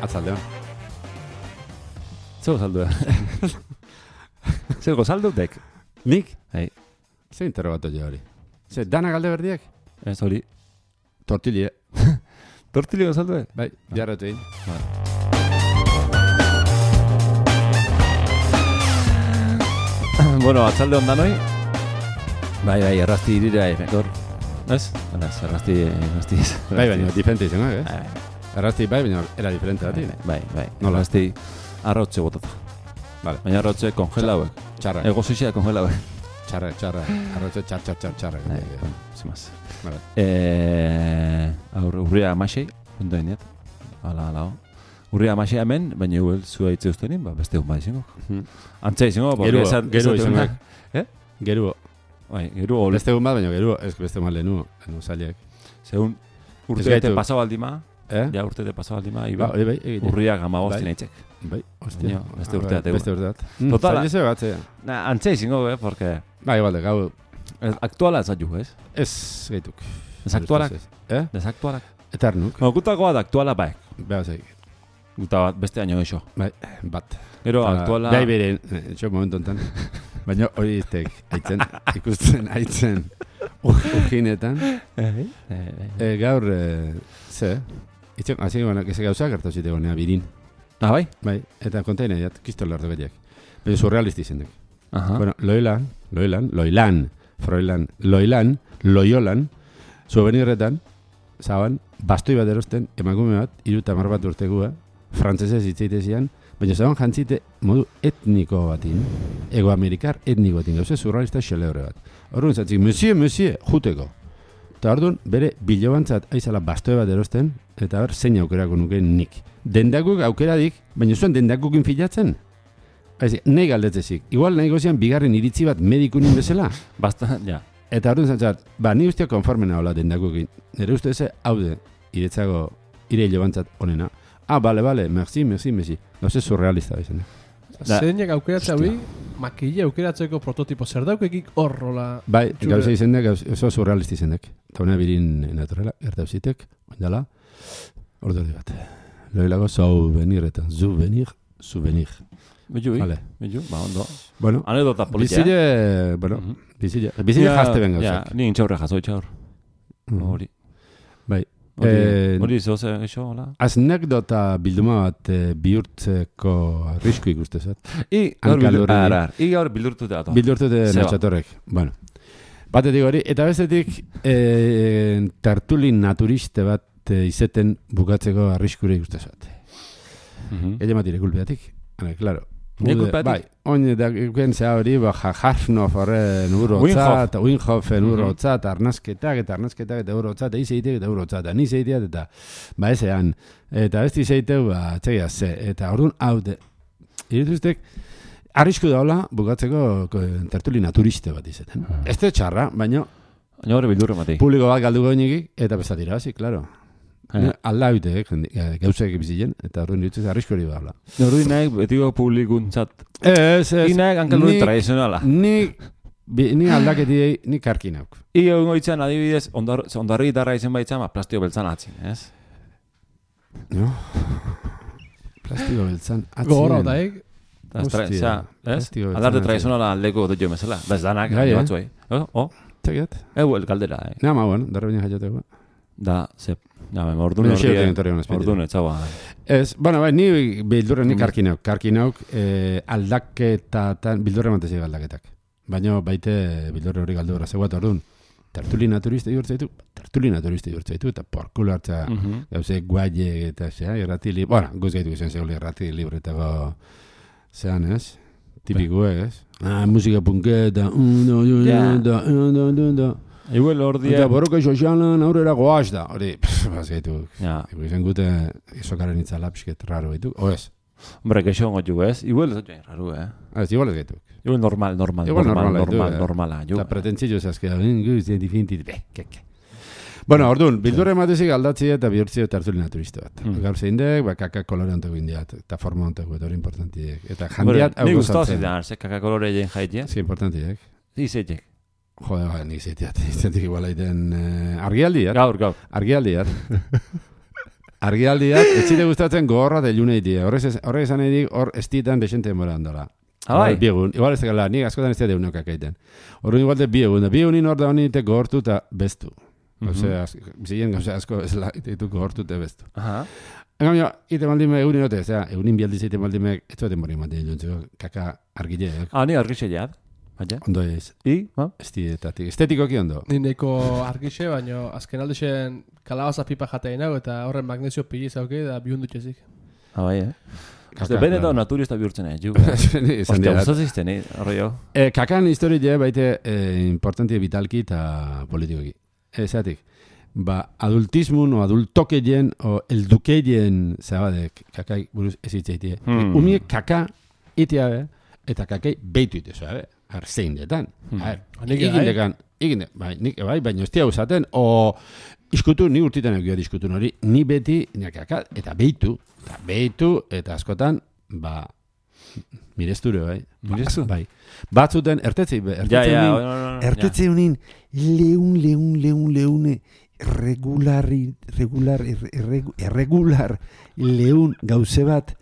atzaldean. Zer gozaldu Zer gozaldu dek? Nik? Hei. Zer interrogato jo hori? Zer, dana galde berdiak? Ez hori. Tortille. Tortili gozaldu Bai, jarratu egin. Bueno, atzalde ondan hoi. Bai, errazti irira gor. Ez? Errazti ez. Bai, baina, diferente izango, Errazti bai, baina era diferente dati. Bai. Nola? Errazti arrotze botata. Vale. Baina arrotze kongelauek. Txarra. Ego zizia kongelauek. Txarra. Arrotze txarra. Sin más. Vale. Urria amasei, ondo iniet. Hala. Urria amasei hemen, baina huel zua hitze ustenin, beste hon izango. Antza izango, Geruo izango. Geruo. Bai, geruo. Beste hon bat, baina geruo, ez beste hon bat lehenu zaliek. Segun urte pasau aldima, ja urte pasau aldima, iba, bai, urriak amagostin eitzek. Bai, hostia. Beste urte bat. Beste urte bat. Total. Zaize batzea. Antza izango, porque... Bai, igual, gau... Aktuala ez aju, ez? Ez gaituk. Desaktualak? Desaktualak? Eternuk. Gutakoa da aktuala baek. Beha zaik. Guta bat, beste año eixo. Bai, bat. Gero aktuala... Bai beren, etxo momentu enten. Baina hori iztek, aitzen, ujinetan. Gaur, ze, itxek, hasi gana, eze gauza gertu zite gonea birin. Ah, bai? Bai, eta kontaina diat, kiston lardu gaiak. Baina surrealisti izendek. Bueno, Loiolan, souvenirretan, zaban, bastoi bat erosten, emakume bat, 30 bat urtegua, frantzesez hitzeite zian, baina zaban jantzite modu etniko batin, egoamerikar etniko batin, gauze surrealista xelebre bat. Horren zatzik, monsieur, juteko. Eta orduan, bere bilobantzat aizala bastoi bat erosten, eta ber, zein aukerako nuke nik. Dendakuk aukeradik, baina zuen dendakukin filatzen? Nahi galdetzezik. Igual nahi gozian bigarren iritzi bat medikunin bezala. Basta, ja. Eta orduan zantzat, ni ustea konformena hola dendakukin. Nere uste eze, haude, iretzago, ire hilobantzat onena. Bale, merci. No se surrealista bezala. Zeinek aukeratzea hui, makille aukeratzeko prototipo zer daukekik horrola... Bai, gauza izendek, oso surrealisti izendek. Eta hona birin naturela, ertauzitek, oindala, ordu bat. Loilago souvenirretan, souvenir. Beju, ondo. Bueno, anedota politia. Bizile jazte ben gauzak. Ja, ni intxaurre jazoi txaur. Hori. Bai. Hori zoze eixo, hola? Aznekdota bilduma bat bihurtzeko arrisku ikustezat. Gaur bildurtute dato. Bildurtute natxatorrek. Bueno. Batetik hori, eta bestetik tertulin naturiste bat izeten bukatzeko arriskure ikustezat. Ella matire kulpeatik. Claro. Bai, oin da gukentzea hori, Harfnof horren urotzat, Winhofen urotzat, arnazketak eta urotzat, eizeiteak eta urotzat, ni zeiteat eta ezean, eta ez dizeiteu, txegia ze, eta orduan haude, irituztek, arrisku daula bukatzeko tertuli naturiste bat izeten. Ez da txarra, baina hori bildurre mati. Publiko bat galduko inekik, eta bezatira, zi, klaro. Alda hute, gauzak bizilen, eta horren ditzez arrisko hori behar. Horri nahi, betiko publikuntzat. Inaek hankaluri tradizionala. Ni aldaketidei, ni karkinauk. Ige goitzen adibidez, ondarri gitarra izen baitzan, plastiko beltzan atzin, ez? No? Plastiko beltzan atzin. Gogorra otaik. Aldarte tradizionala aldeko dut jo mesela. Bez danak, batzuei. Txekiat? El kaldera, Nama, bueno, darra bine jaioteko. Da, zep. Ordun etzaua. Ez, bueno, bai, ni bildurren nik karkinauk aldaketatan, bildurre mantezi aldaketak. Baina baite bildurre hori galdu gara zegoat orduan. Tertuli naturiste diurtzaitu, eta porkulo hartza gauze guaie eta zea, irrati libre, bueno, guz gaitu izan zegoela irrati libretako zean, ez? Tipikuek, ez? Musika punketa, Igual hor Eta borroka sozialan aurrera goaz da. Hori, bazgaitu. Izan gute izokaren itzala pixket raro gaitu. O ez? Hombre, keixo gotu ez? Igual ez joan raro, Ez, igual ez gaitu. Igual normala. Eta pretentzio zazkeda. Bueno, orduan, bildurre matezik aldatzi eta bihurtzi eta hartzuli naturiste bat. Gaur zein dek, kakak kolore onteko indiat, eta forma onteko, eta hori importantiek. Eta jandiat hau gozatzen. Ni guztau zidan, kakak kolore egin jaitia? Zi, importantiek. Izeitek. Jode, nik zeitiat igual aiten argialdiat. Gaur. Argialdiat. argialdiak, ez zite gustatzen gogorra de iluneitia. Horrek esan edik, hor estitan desente moran dola. Bai. Biegun, igual ez gala, nik askotan ez dira deunok akaiten. Horren igual de biegun, biegunin hor da honite gogortu eta bestu. Osea, ziren gauza asko ez la, ditu gogortu eta bestu. En cambio, ite maldime egunin ote, egunin bialdiz ite maldime, ez dueten morin maten iluntzeko, kaka argileak. Ni argixe jad. Ondo ez. Estietatik. Estetikoki ondo. Ni neko argixe, baina azken aldexen kalabaza pipa jatein hau, eta horren magnesio pili zauke, da bihundutxezik. Bai, benetan naturista bihurtzen ju. Ostia, usazizten, horre jo. Kakan historia baite importanti vitalki eta politikoki. Ezatik. Adultismun o adultokeien o eldukeien zabadek kakai buruz ezitzeitie. Umiek kaka itea eta kakai beitu ite zoa, zein detan. Bai, baina ez tia usaten, o iskutu, ni urtitan egia diskutu hori, ni beti, kaka, eta beitu, eta askotan, mirezture, bai. Mirezu? Bai. Batzuten, ertetzei unin, leune, irregular leun gauze bat,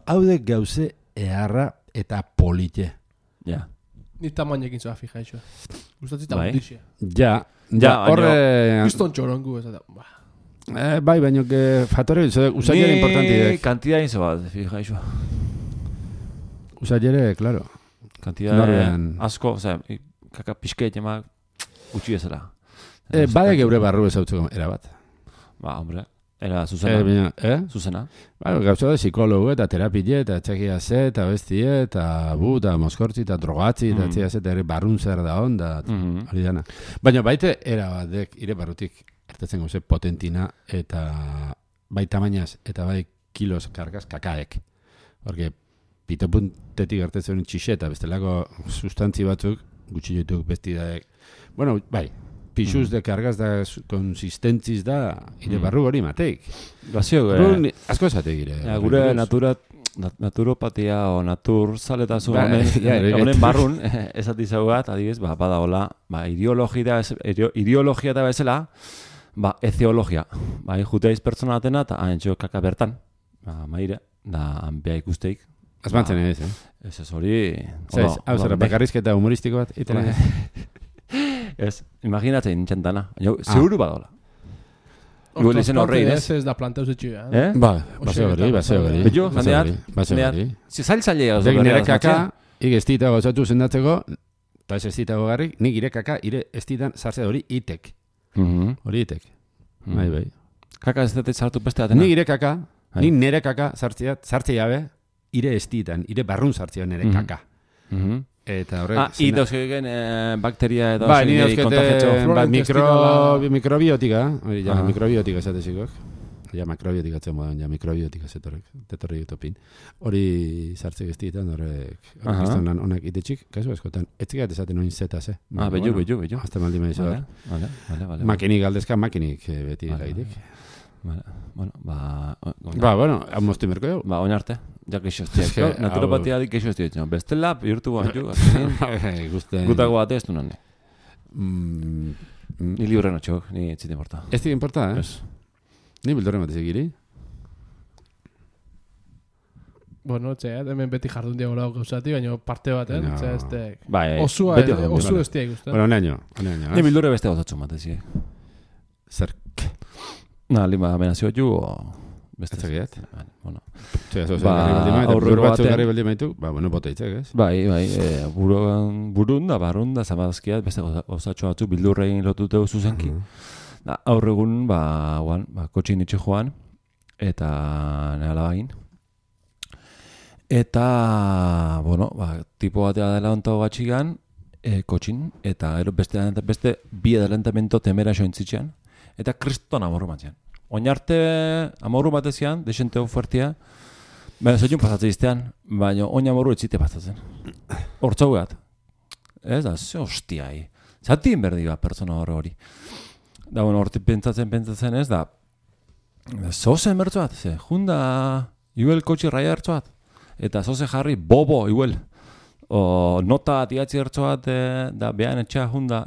haudek gauze eharra eta polite. Ja. Ni tamainekin zoa fija iso. Gustatzita mundixia. Ja, horre... Piston txorongu ez da. Bai, baina fatore usaiere importanti dek. Ni kantidad inzo bat, fija iso. Usaiere, claro. Kantidad asko, kaka pixkeit emak gutxi ezera. Badek eure barru ezautzeko erabat. Hombre, era zuzena. Zuzena. Gauza da psikologo eta terapie eta txekia ze eta bestie eta eta moskortzi eta drogatzi eta txekia ze eta ere barrun zer da onda. Hori dana. Baina baite erabadek ire barrutik ertetzen goze potentina eta bai tamainaz eta bai kilos kargaz kakaek. Porque pitopuntetik ertetzen txixe eta bestelako sustantzi batzuk gutxi dituk bestidaek. Bueno, bai. Pixuz de kargaz da konsistentziz da ire barru hori mateik. Bazio, asko esatek ire. Gure naturopatia o naturzaletasun honen barrun esatizago bat, adibidez, badagola, ideologia da bezala, ezeologia. Juteiz pertsona batena eta haintxo kaka bertan, maire, da hanpea ikusteik. Azmantzen ez, Ez hori... Hau zera, bakarrizketa humoristiko bat, itena. Ez, imaginatzen nintxentana. Seguru badola. Igual izen horrein, ez? Ez da planteu zetxia. Baseo gari. Beto, jandeat, zail-zailea. Nire kaka, ig estitago zatu zendatzeko, eta ez estitago garrik, nik ire kaka, ire estitan zartzea hori itek. Hori itek. Bai. Kaka ez dut zartu beste atena? Nik ire kaka, nik nire kaka zartzea jabe, ire estitan, ire barrun zartzea nire kaka. Eta horrek... Itoskegen bakteria edo... Bai, nire mikrobiotika, mikrobiotika esatezikok. Mikrobiotika atzen modan, mikrobiotika zetorri utopin. Hori zartzek estitan, horrek... Kristonan honak itetxik, kasu askotan, etzikat esaten oin zetaz, Bello. Azte maldi maizu da. Makinik galdezka, makinik beti gaitik. Bueno, moztu merko dugu. Oin arte. Ja, keixo estiak. Naturopatia dik keixo estiak. Bestela, bihurtu guantu. Gutago bate ez du nane. Ni libre notxok, ni etzite importa. Ez dik importa, Ni bildorren bat ezekiri. Bueno, hemen beti jardun diago lau gauzati, baina parte bat, Bai, osu estiak guztan. Bueno, neño. Ni bildorre beste gauzatxun bat ezik. Zer? Lima amenazio ju, beste zegiat. Bueno. Aurrero batzuk garri beldi maitu, bueno, bota itzak, ez? Bai, barrun da, zabazkiat, beste gauzatxo batzuk bildurrein lotuteu zuzenki. Aurregun, kotxin itxe joan, eta nehala bagin. Eta, tipo batea dela ontago batxigan, kotxin, eta beste bi adelantamento temera jointzitzean, eta kriston amorru batzean. Oin arte amorru batezian, desenteo fuertia, baina zoiun pasatzen iztean, baina oin amorru etzite pasatzen. Hortzau gehat. Ez da, ze hostiai. Zatien berdi bat pertsona hori. Da, horti pentsatzen ez da, zozen bertzoat, junda, iuel kotxi raia bertzoat, eta zoze jarri, bobo, iuel. Nota atiatzi bertzoat, da, behan etxea junda,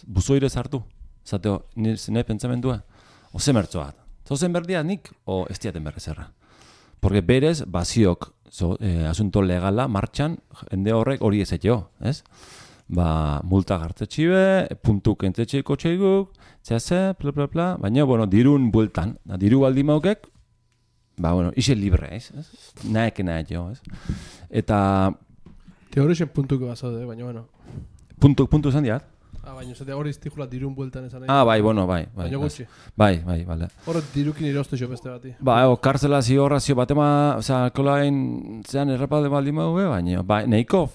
buzoire zartu. Zateo, nire pentsamendua. Oze mertzo bat. Zozen berdia nik, o ez diaten berrezerra. Porque berez, baziok, asunto legala, martxan, jende horrek hori ezetio, ez? Multa gartetxibe, puntuk entzetxeiko txeiguk, txase, bla, baina, bueno, dirun bueltan, diru baldi maukek, ise libre, ez? Naeke jo, ez? Eta... Teorixen puntuko bazaude, baina, bueno. Puntu esan diat? Baina, zate hori iztijula dirun bueltan esan nahi. Bai. Baina gutxi. Bai, bale. Hor dirukin irostu jo beste bati. Karzela zigorrazio batema, alkoholain zean errapalde baldi maue, baina, nahiko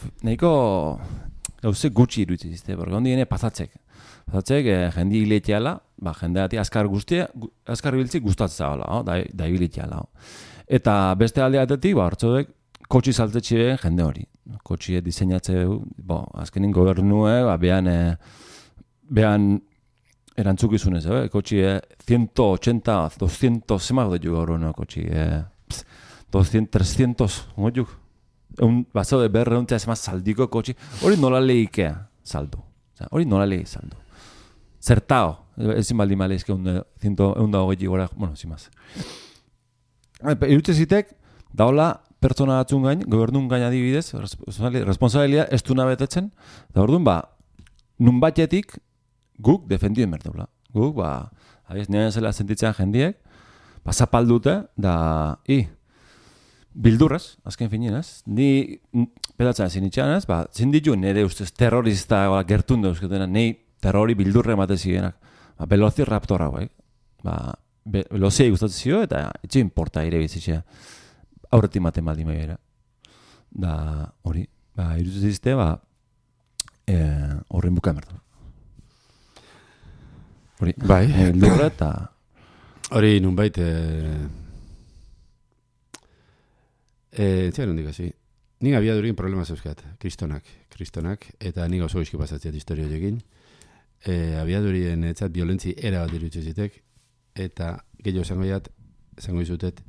gauze gutxi iruditzen zizte, porque hondi gene pasatzek, jendi hileteala, jendeati azkar biltzik gustatzea da hileteala. Eta beste aldeatetik, hartzodek, kotxi saltetxe jende hori. Kotxi diseinatze, azkenin gobernue, behan erantzukizunez, kotxi 180, 200, zemak dut gaur hori, kotxi 200, 300, ongoiuk. Bazaude berreuntea ez saldiko kotxi, hori nola lehikea saldu. Hori nola lehi saldu. Zertao, ezin baldin maleizke 120 gora, bueno, zimaz. Irutze zitek, daola pertsona batzun gain, gobernun gain adibidez, responsabilia ez du nabetetzen, da orduan, nun batetik guk defendioen berdeula. Guk, abiez, nire zela sentitzen jendiek, zapaldute, bildurrez, azken finin, ez? Ni pedatzen ezin itxan, ez? Zinditu nire ustez terrorista gertun dauzketena, nahi terrori bildurre emate zigenak. Velociraptor hau, velozia gustatzen zio, eta etxe importa ere bizitzea. Aurretik maten baldin begira. Da, hori, irutzen zizte, horren buka emertu. Hori, bildurre eta... Hori, nunbait... Zer hondik hasi. Nik abiadurin problema zeuzkat, kristonak, eta nik oso izki pasatziat historio jokin. Abiadurien etzat violentzi era bat irutze zitek, eta gehiago zango izutet,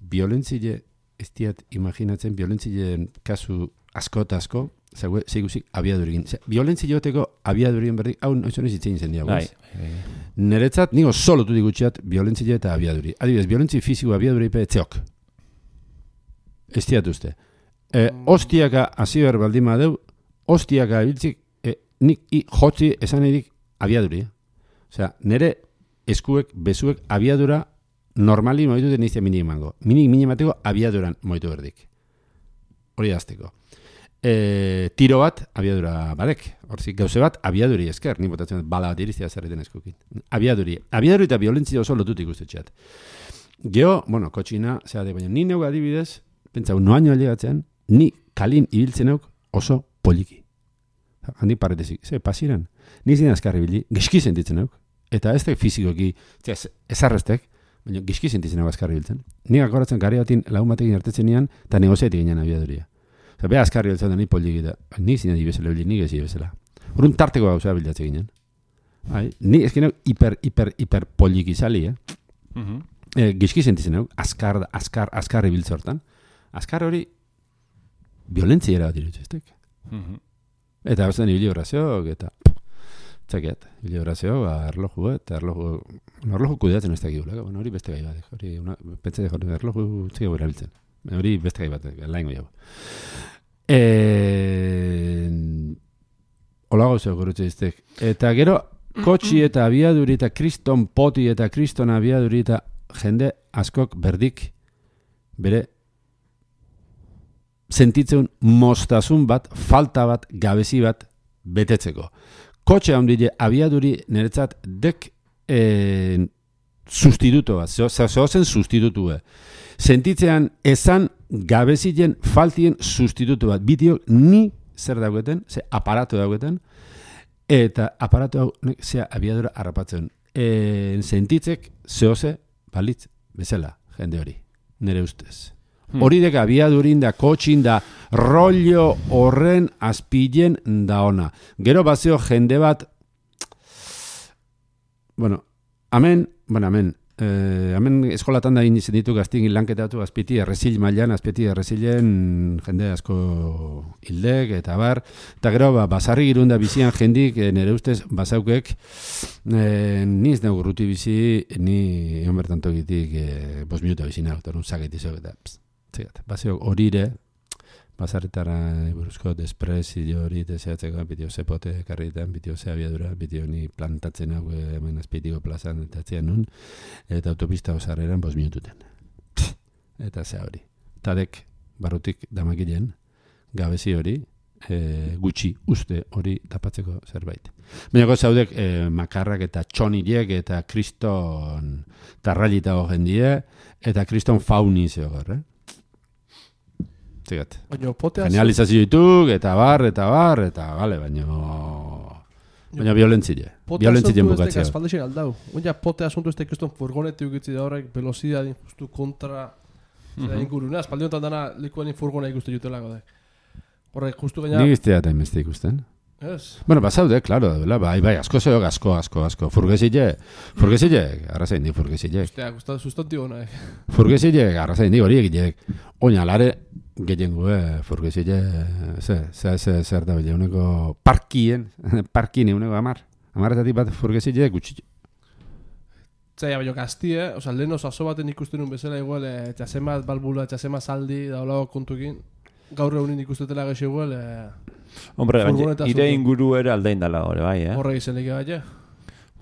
violentzile ez diat imaginatzen, violentzileen kasu asko eta asko, zeiguzik abiadurien. Violentzile joteko abiadurien berdik, hau noizu izitzein zen diago. Neretzat, nigo solotu digutxeat violentzile eta abiaduri. Adibidez, violentzi fiziko abiaduri pe etzeok. Ez diatuzte. Ostiaka aziber baldin badeu, ostiaka biltzik, nik jotzi esan edik abiaduri. Osea, nire eskuek, bezuek abiadura normali moitu den izia minimango. Minimateko abiaduran moitu berdik. Hori azteko. Tiro bat, abiadura badek. Horzik, gauze bat, abiaduri esker. Ni botatzen bala bat iriztia zerreten eskukin. Abiaduri eta violentzia oso lotutik ustetxeat. Geo, kotxina, baina ni neu adibidez, pentsau, noaino alegatzean, ni kalin ibiltzen auk oso poliki. Handik parretezik, pasiran. Ni zin azkarri bildi, gizki sentitzen auk. Eta ez da fizikoki, ezarreztek, baina gizki sentitzen auk azkarri biltzen. Nik akoratzen gari batin lagun batekin hartetzen nian, eta negoziatik ginen abiaduria. Beha azkarri biltzen da ni poliki da, nik zin adi bezala bildi, nik ezi bezala. Horren tarteko gauza bildatzen ginen. Ni ezkin auk hiper poliki zali, gizki sentitzen auk, azkarri biltzen hortan. Azkar hori violentziera bat irutzeztek. Eta bezan ibili horazioak, eta txakiat, ibili horazioak, erloju kudeatzen ez dakigula, hori beste gai bat, hori pentsa de erloju txiki gure biltzen, hori beste gai bat, laingo jau. Ola gauzeo gurutzeztek. Eta gero, kotxi eta abiaduri eta kriston poti eta kriston abiaduri eta jende askok berdik bere sentitzen moztasun bat, falta bat, gabezi bat betetzeko. Kotxe handile abiaduri niretzat dek sustituto bat, zehozen sustitutu bat. Sentitzean esan gabezien faltien sustitutu bat. Bideok ni zer daugeten, ze aparatu daugeten, eta aparatu hau zea abiadura harrapatzen. Sentitzek zehoze balitz bezala, jende hori, nire ustez. Hori deka abiadurin da, kotxin da, rollo horren azpilen da ona. Gero bazio jende bat, amen, hemen eskolatan da egin izan ditu gaztin lanketatu azpiti errezil mailan, azpiti errezilen jende asko hildek eta bar, eta gero basarri girunda bizian jendik nire ustez basaukek ni ez nago urruti bizi, ni egon bertan tokitik 5 minuta bizina, eta un zaketizok eta baseok horire, basarretara buruzko despresio hori deseatzeko, bitio zepote karritan, bitio ze abiadura, bitio ni plantatzen hau hemen azpitiko plazan eta atzean nun, eta autopista osarreran 5 minututen. Eta ze hori. Tadek barrutik damakilen, gabezi hori, gutxi uste hori tapatzeko zerbait. Baina zaudek makarrak eta txonilek eta kriston tarrailita jendie, eta kriston fauni zeogor, Zigat. Genializazio dituk, eta bar, gale, baina violentzile. Violentzile bukatzea. Espaldexen aldau. Oina pote asuntu ez tekiston furgoneti ukitzi da horrek, velocidad justu kontra inguruna. Espaldionetan dana likuan furgona ikuste jutelako da. Horrek justu gaina... Nik iztea eta emeste ikusten. Yes. Bueno, basaude, claro, bai, asko zeok, asko. Furgesile, arrazain di furgesile. Ostia, sustantibo nahi. Furgesile, arrazain di hori egilek. Oina, lare, gehiengo, furgesile, zer da bile, uneko parkine, uneko amarretatik bat furgesile gutxi. Zaila, baina gaztie, lehen oso baten ikusten un bezala igual, txasemat balbula, txasemat saldi, da holago kontukin. Gaur egunin ikustetela gexe igual, Hombre, ire inguru ere aldein dala hori, bai, Horre izan eke bai,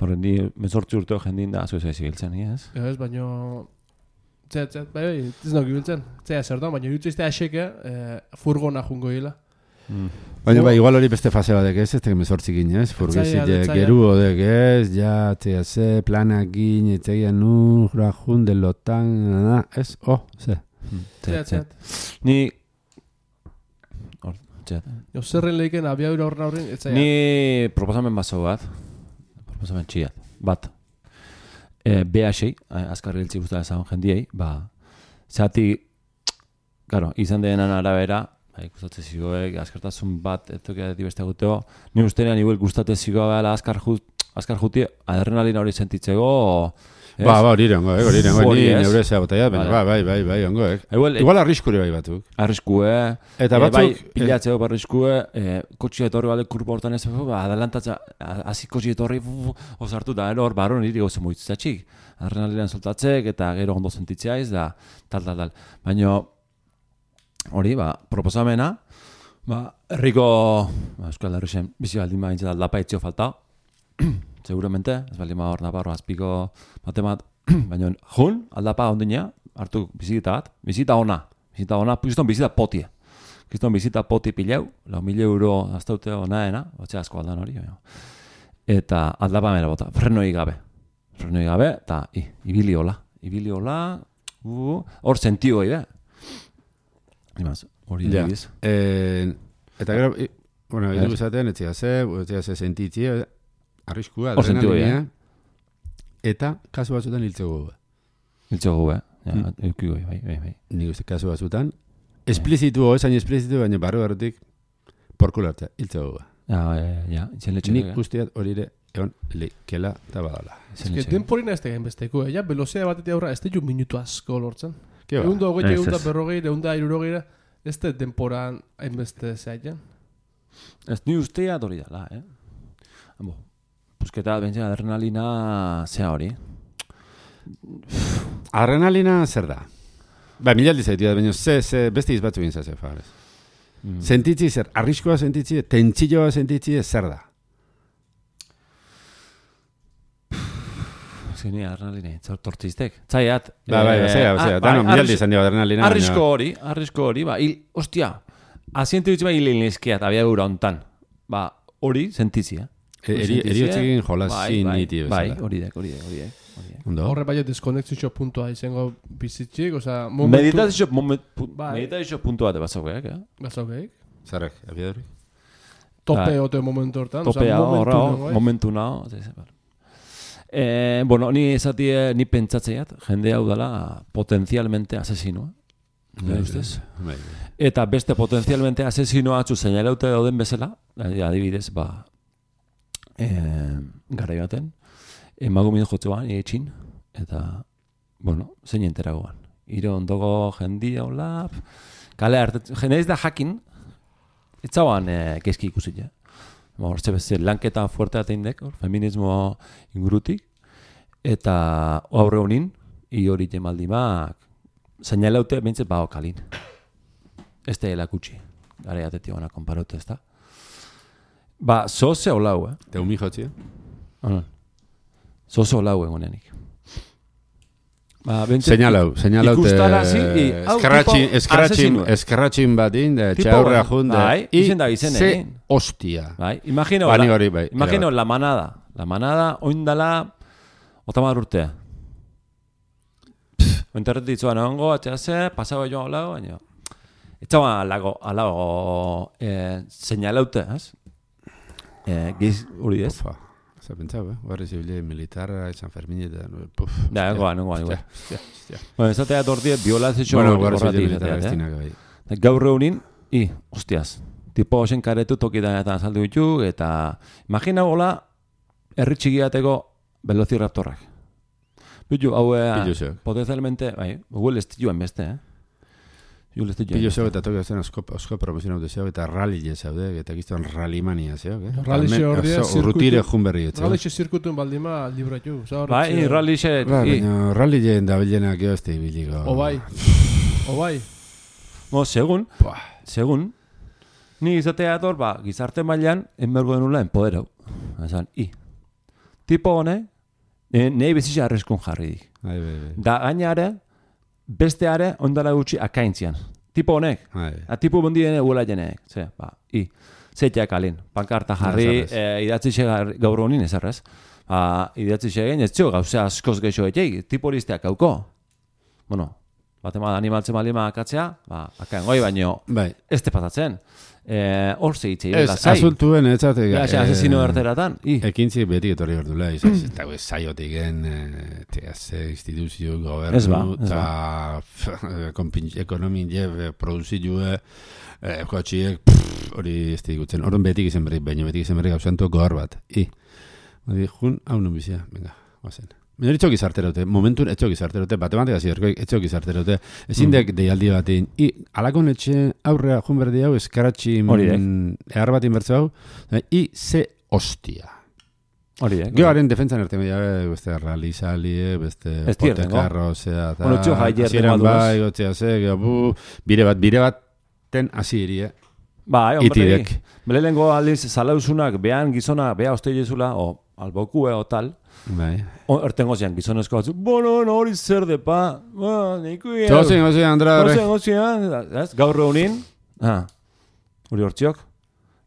Horre, ni mezortzi urteo jendin da, azu ez ibiltzen, ez? Ez, baina... bai, ez nauk ibiltzen. Zea zer da, baina jutzizte aseke furgona jungo hila. Baina, igual hori beste fase badek ez, ez teke mezortzi ginez, furgezile, geru odek ez, ja, txea planakin, etxegia rajun delotan, ez, ze. Zea. Ni... Zerren lehiken abiadura horren, ni proposamen proposamen txiat, bat. BH, azkarri hiltzi guztara ezagun jendiei, zehati, izan denan arabera, gustatzen zigoek, azkartasun bat, etokea dibeste guteo, ni ustenean igual gustatzen zigoa azkar juti, adrenalina hori sentitzego, hori ongo, ni neure zea botaiat, baina bai, ongo, Igual arriskure bai batuk. Arriskue, eta batzuk... pilatzeo arriskue, kotxia etorri bale kurpa hortan ez, adelantatza, hazi kotxia etorri, osartu da, hor barron niri gozo moitzatxik. Adrenalinan soltatzek, eta gero ondo sentitzea da, tal. Baina, hori, proposamena, herriko, Euskal Herrixen, bizi baldin baintza da, aldapa etzio falta, seguramente, ez baldin hor Navarro azpiko batemat, baina jun, aldapa ondinea, hartu bizita ona, kriston bizita potie. Kriston bizita poti pilau, €4.000 aztaute onaena, otxe asko aldan hori. Eta aldapa mera bota, frenoi gabe, eta ibili hola, hor sentio gai, hori egiz. Eta gero, idu izaten, etxea ze sentitzi, arriskua, adrenalina, eta kasu batzutan hiltzeko Eukiko, bai. Nik uste kasu batzutan, esplizitu, esain esplizitu, baina barrutik porkulartza, hiltzeko Nik usteat hori ere egon lekela eta badala. Ez denporina ez tegen besteko, velozia batetik aurra, ez teju minutu asko lortzen. Eunda hogei, eunda berrogei, eunda irurogeira, ez te denporan hainbeste zeaien. Ez ni usteat hori dala, Pusketa, bentzen, adrenalina zea hori. Adrenalina zer da? Milaldi zaitu da, baina beste izbatzu egin zaze, favorez. Sentitzi zer, arriskoa sentitzi, tentzilloa sentitzi, zer da? Zini adrenalina, tortziztek. Zaiat. Dano, milaldi izan dio adrenalina. Arrisko hori, ostia, asiente dutxe hilin izkiat, abia gura ontan. Hori, sentitzi, Eriotzekin jolazin niti bezala. Bai, hori dek. Horre bai deskonexizio puntua izango bizitxik, oza... Meditazio puntu bat batzauk, Batzauk, Zerrek, abiadurik? Tope ote momentu hortan. Topea horra, momentu naho. Bueno, ni esatie, ni pentsatzeiat, jende hau dela potenzialmente asesinoa. Eta beste potenzialmente asesinoa atzu seinalaute dauden bezala, adibidez, garai baten, emagumin jotzean, etxin, eta, bueno, zein enteragoan. Iro ondoko jendia, hola, kale hartetzen, jeneiz da jakin, itzauan kezki ikusi, ja. Hortze bezala, lanketa fuerte ateindek, feminismo ingurutik, eta aurre honin, hori jemaldimak, zainalaute bintzet bao kalin. Ez da helakutsi, gare atetik ona konparote, ez da. Ba, zoze holau, Te umi jotzi, zoze holau egonenik. Ba, Señalau eskerratxin batin, txaurra jun, ze hostia. Bai, imagino, la manada, oindala, otamar urtea. Ointerretitzuan egongo, atxase, pasago joan holau, baina, etxaua alago, señalaute, ez? Giz hori ez? Zer pentsau, Guardia Zibile militarra, San Fermin eta... Da, nengoan. Bueno, ezatea tortie, violazio horretik. Gaur reunin, hostiaz, tipo osen karetu tokitan eta azaldu ditu, eta imagina gola, erritxigiateko velociraptorrak. Bitu, hau, potenzialmente, huel estiluen beste, Pillo zeu eta toki zen osko promozionau zeu eta rally zeude, eta giztuan rallimania zeu, Rally horria, urrutire jun berri etzeu. Rally zirkutun baldima libratu. Bai, rally baina rally da bilenak jo ez biliko. Obai. Mo, segun, ni izatea ator, gizarte mailan, enbergo denula enpoderau. Esan, tipo honek, nahi bezitza arreskun jarri dik. Da gainare, besteare ondala gutxi akaintzian. Tipo honek. Tipo bondi dene huela jenek. Zeiteak alin. Pankarta jarri, idatzi gaur honin ezarrez. Idatzi xegen, ez zio gauzea askoz geixo etxeik. Tipo listeak hauko. Bueno, batema animaltzen malima akatzea, akain goi baino, ez te pasatzen. Hor zeitze, lasai. Ez, azultuen etxatek. Asesino erteratan. Ekintzi beti etorri berdula. Eta saiotik instituzio, gobernu, eta ekonomin produzioa, kotxiek, hori ez digutzen. Horren betik izan berri, baina betik izan berri gauzantu gogor bat. Jun, hau non bizia, venga, guazen. Baina etxok izarterote, momentun etxok izarterote, matematika zirkoik etxok izarterote, ezindek deialdi batin, alakon etxe aurrea jun berdi hau, eskaratxi ehar batin bertzu hau, ze hostia. Geoaren defentsan erte media, beste rally-salie, beste potekarro, zea, eta hasieran bai, gotzea ze, bire bat ten hasi irie. Itidek. Belelengo aldiz zalauzunak, behan gizona, beha osteilezula, o albokue o tal, ertengo zian, gizonezko batzu, hori zer depa, neikuia. Zozen, Andra. Gaur reunin, hori hortziok,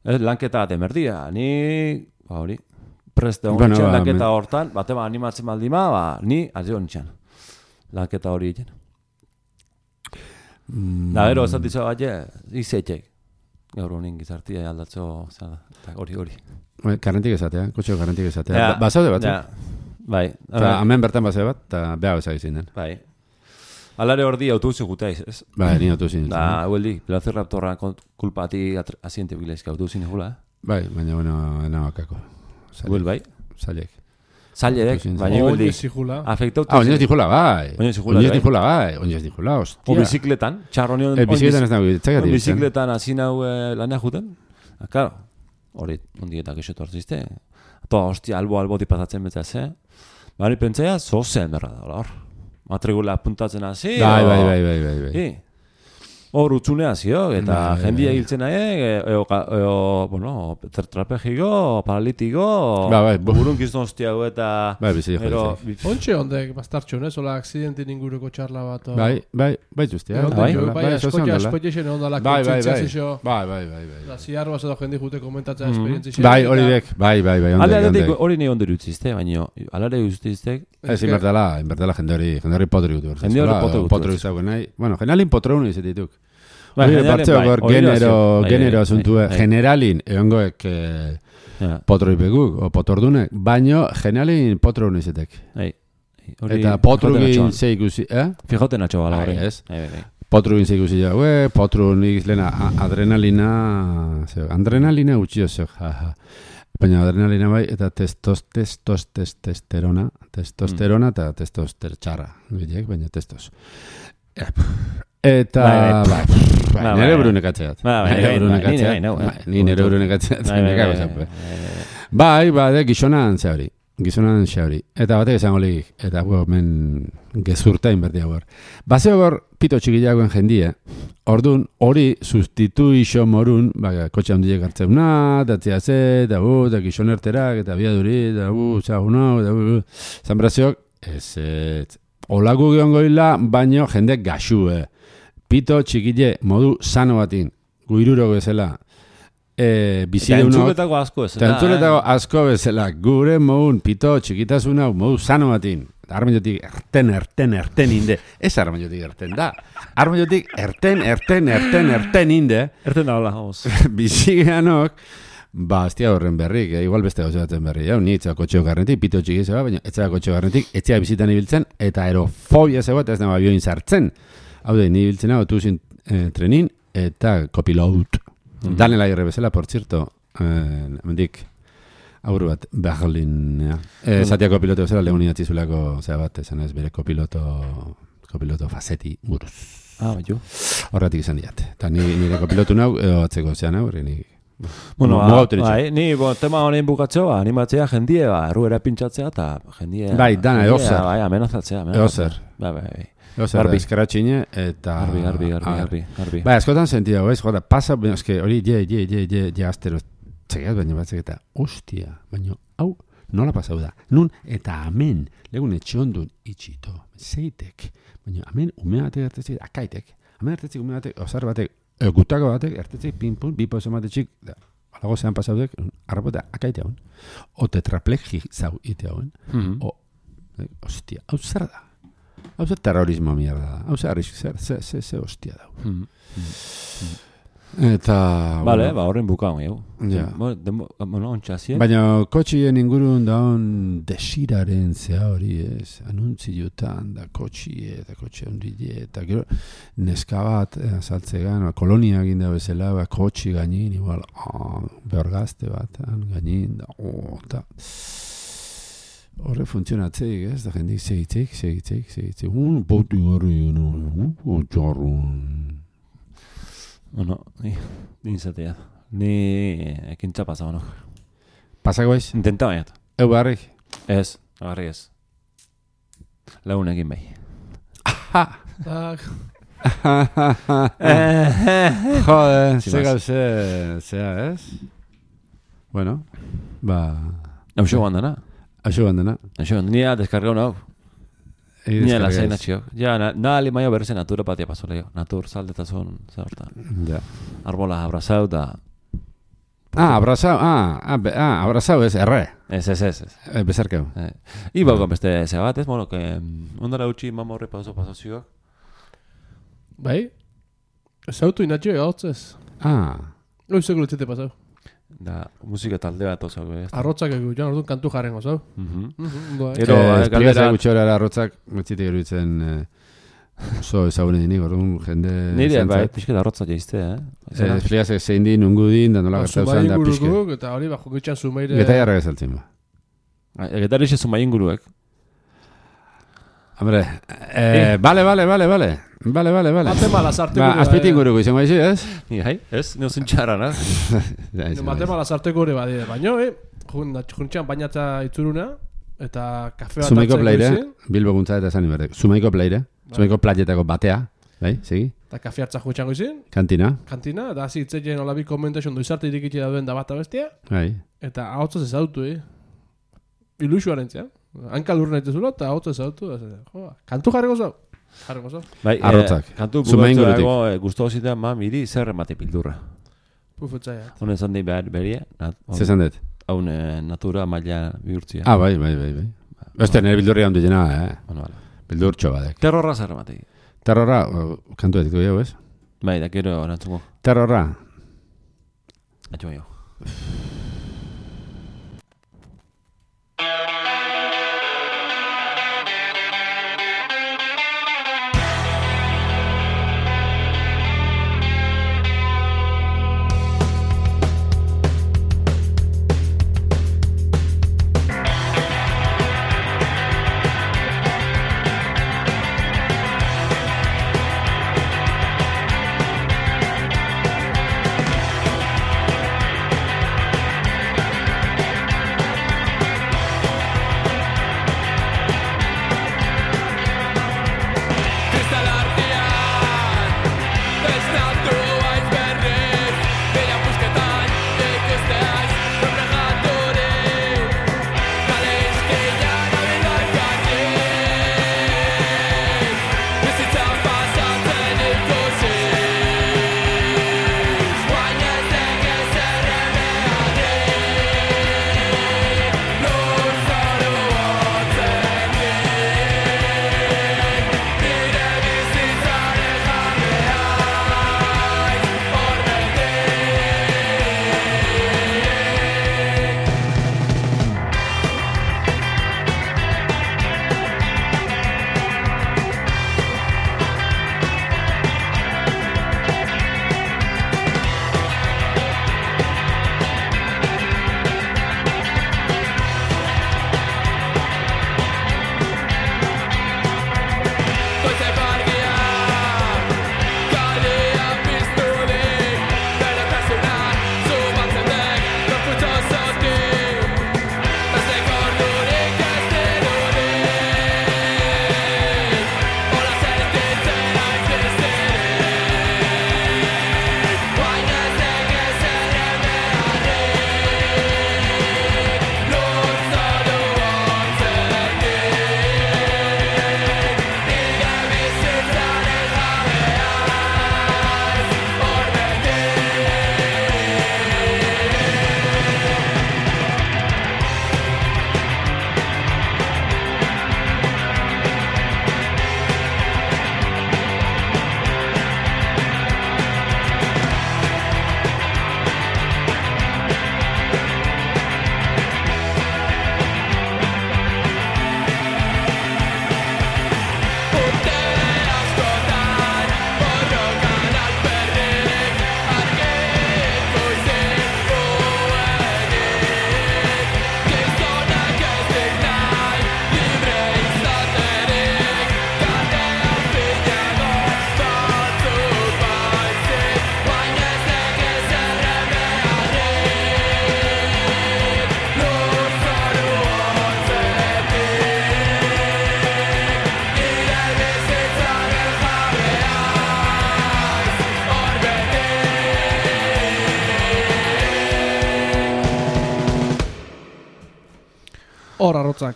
lanketa bat emerdia, ni, hori, preste honitxan lanketa hortan, batema animatzen baldima, ni, azio honitxan, lanketa hori egin. Da, gero, esatitza bat, izetxek. Gaur honin gizartia aldatzo, hori. Karrentik ezatea, kotxeo karrentik ezatea. Basaude bat, Bai. Hemen bertan basaude bat, eta beha bezak izin den. Bai. Alare hor di autobuzi gutaiz, ez? Bai, ni autobuzi. Da, hueldi, Velociraptorra kulpati asiente bilaizka autobuzi nigula, Bai, baina, ena bakako. Huel, bai? Zailek. Zailek, baina hueldi. Afektautu. Oinez dijula, bai. Oinez dijula, hostia. O bizikletan, txarronion. Bizikletan ez nago, txagatik. Bizikletan hasi nau lanea juten. Claro, hori, ondietak esotu hartzizte. Toa, hostia, albo tipazatzen betzaz, Bari pentsea, zozen berra da, hor. Matrikula puntatzen hasi. Bai. Hor utzunea zio, eta jendia hiltzen nahi, tetrapegiko, paralitiko, burun gizton hostia gu eta... Bai, bizi jo. Ontxe ondek, bastartxon, hola, akzidentin inguruko txarla bat. Bai, justia. Bai, askoitxen ondalak entzitza zixo. Bai. Ziarroaz edo jendi jute komentatzen esperientzia. Bai, hori dek, bai. Aldeatik hori nahi ondo dutzizte, baina alare dutziztek... Ez, inbertela jende hori potri gutu. Jende hori potri gutu nahi. Bueno, generalin potreunu izetituk. Genero asuntue. Generalin, egongoek potroipeguk, o potordunek, baino generalin potreunu izetek. Eta potrugin zeikusi, Fijoten atxo bala hori. Potrugin zeikusi ja, potrunik lehena adrenalina gutxio zeo, Baina adrenalina bai, eta testosterona eta testostertxarra. Bilek, baina testos. Eta, nire burunekatzeat. Ni nire burunekatzeat. Bai, gizonan zehabri. Eta batek esango ligik. Eta men gezurtain berdi hau. Bazeo gor, pito txikilagoen jendia. Orduan, hori sustituixo morun, kotxe handiek hartzeuna, eta tziazet, eta gizonerterak, eta biaduri, eta txagunau, eta zanbraziok, ez. Olagu giongoila, baino jendek gaxue. Pito txikile modu sano batin, guiruro bezala. Eta entzuletako asko bezala. Eta entzuletako asko bezala. Gure modun pito txikitasuna modu sano batin. Armaiotik erten inde. Ez armaiotik erten da. Armaiotik erten inde. Erten da hola, vamos. Bizigeanok, aztia horren berrik, igual beste gauza batzen berri. Ni etzea kotxeo garnetik, pito txiki zeba, baina etzea kotxeo garnetik, etzea bizitan ibiltzen, eta aerofobia zeba, eta ez nama bioin sartzen. Hau da, ni ibiltzen hau, tuzin trenin, eta kopilout. Danela irre bezala, por cierto, mendik, aurru bat, Berlin, Zatiako piloto bezala, lehun inatzizulako, zera bat, esan ez, bere kopiloto Fazetti buruz. Jo. Horretik izan diat. Eta nire kopilotu nau, atzeko zean hau, bueno, ni tema honein bukatzeo, animatzea jendie, erruera pintxatzea, eta jendie... Bai, dana, eozer. Bai, amenazatzea. Eozer. Bai. Eozer, bizkaratxine, eta... Garbi. Bai, askotan sentiago, ez, jota, pasa, eske, hori, je, astero, txegeaz, baina batzek eta, ostia, baina, hau, nola pasau da? Nun, eta amen, legun etxondun itxito, zeitek, baina amen, ume batek ertetzik, akaitek, amen ertetzik, ume batek, osar batek, gutako batek, ertetzik, pinpun, bipo esomatetxik, alago zean pasaudek, arrapotea, akaite hauen, o tetraplegi zau ite hauen, ostia, hau zer da? Hau zer terrorismo mierda da, hau zer ze ostia dau. Eta... Bale, horren bukaun, jau. Ja. Ontxazien. Baina kotxien ingurun daun desiraren zea hori ez, anuntziotan da kotxie eta kotxe ondile, eta gero neska bat azaltzegan, kolonia ginda bezala, kotxi gainin, igual, behorgazte bat, gainin, eta... Horre funtzionatzeik, ez? Da jendik segitzeik. Poti horri, txarrun. Bueno, ni zatea. Ni ekintza pasa, bueno. Pasako ez? Intenta baiat. Eu barrik? Ez, agarri ez. Launekin bai. Jode, zea, ez? Bueno, Hauxo bandana. Nia deskargau nau. Nia la zeina txio. Ja, nali maio berrezen natura patia paso leo. Natur saldetazun, zaurta. Ja. Arbola abrazau da... abrazau ez, erre. Ez. Bezarkeu. Iba con beste zebat, ez, bueno, que... Ondara utxi mamo horre paso zioak. Bai? Zautu inatxio egotzez. Loizeko lutzete pasau. Da, musika talde bat oso. Arrotzak egu, joan orduan kantu jarren oso. Ero, esplikazia gutxora arrotzak, metzitek eruditzen oso ezagunen dinik, orduan jende... Nire, bai, pixket arrotzak jaizte, esplikazia zein din, ungu din, da nola gertauzan da pixket. Eta hori, bako gitxan zumeire... Geta jarra gezaltzen ba. Geta erixe zumai inguruek. Hombre, vale. Matema lasarte gure. Azpiti inguruko izango aizi, ez? Hai, ez? Neuzun txarra, na? Matema lasarte gure badire. Baina, juntxean bainatza itzuruna, eta kafe bat Zumaiko plaire, Bilbo guntza eta esan iberdek. Zumaiko plaire, Zumaiko playetako batea, bai, segi? Eta kafe hartza juntxean goizin. Kantina, eta hazi itzeien olabi komentation doizarte irikitxe dauden da bat abestia. bai. Eta ahotzaz ezautu, Ilusuaren zean. Hankal urren aitezula, eta ahotzaz ezautu. Kantu jarriko zau. Bai, arrotzak. Kantu bukatzerago guztu zitea, miri zer emate pildurra. Pufetza, ja. Honen zan dei beria. Zezan dut? Haun natura maila bihurtzia. Bai. Beste, nire bildurri handu jena, Bueno. Bildurtxo badek. Terrorra zer emate. Terrorra, kantu etik dugu, ez? Bai, da kero orantzuko. Terrorra. Atxo jo. hor arrotzak.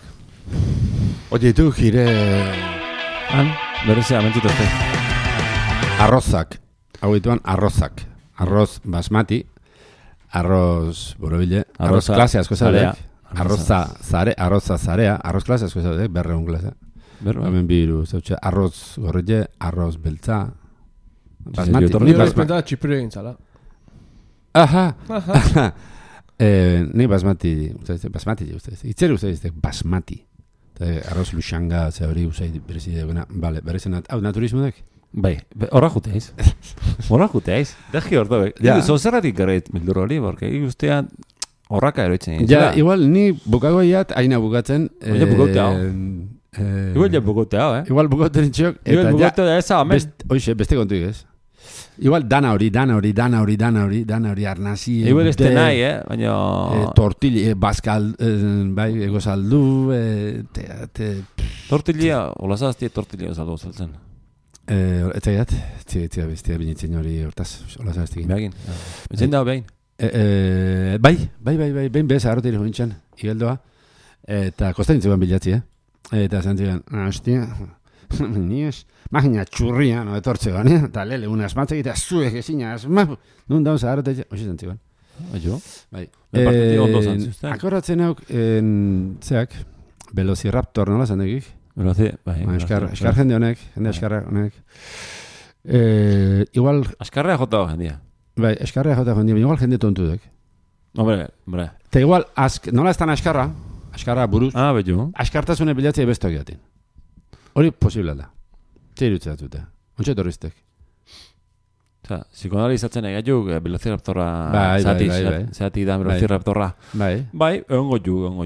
Oye, tu gire Han, berezea, mentzituzte. arrozak. Hau dituan arrozak. Arroz basmati, arroz borobile, arroz Arroza klase asko zarea. zaudek, arroza zarea, arroz klase asko zaudek, 200 klase. Hemen biru, zautxe, arroz gorrile, arroz beltza, basmati. Ni hori espenta txipiro egin zala. Aha. Ni basmati, itzer ustedes, basmati. Arroz luxanga, ze hori usai berezi duguna. Vale, berezen, hau naturismodek? Bai, horra juteiz. Horra juteiz. Degi hor dobe. Ja. Zozerratik garret mildur hori, porque ustean horraka eroitzen. Ja, igual ni bukagoiat, aina bukatzen. Baina bukautea. Igual ja bukautea, Igual bukauten itxok. Igual bukautea eza, amen. Oixe, beste kontu ez. Igual dana hori arnazi. Igual este nahi, baina... Tortilla, bazkal, bai, egozaldu, Tortilla, olazaztie tortilla saldu zeltzen. Etzaiat, etzia bestia binitzen hori hortaz, olazaztik. Beagin. Etzen da behin. Bai, behin bez, arrotire jointxan, igeldoa, eta kostaintzean bilatzi, Eta zantzigan, hostia, nies, magina txurria, no etortzean, eta lele, una asmatze egitea, zuek ezina asmatu, nun dauz arrote, hoxe zantzigan. Jo? Bai. Partetik ondo zantzuzten. Akoratzen hauk, zeak, Velociraptor, nola zandegik? Bai. Eskar jende honek, eskarra honek. Igual... Askarrea jota jendia. Bai, eskarrea jota jendia, igual jende tontu dek. Hombre. Eta igual, nola estan askarra buruz, Betu. askartasune bilatzea bestoak jaten. Hori posible da. Txeirutze datuta. Ontsa etorriztek. Psikoanalizatzen egaituk, Velociraptorra Bai. zati da Velociraptorra. Bai, egongo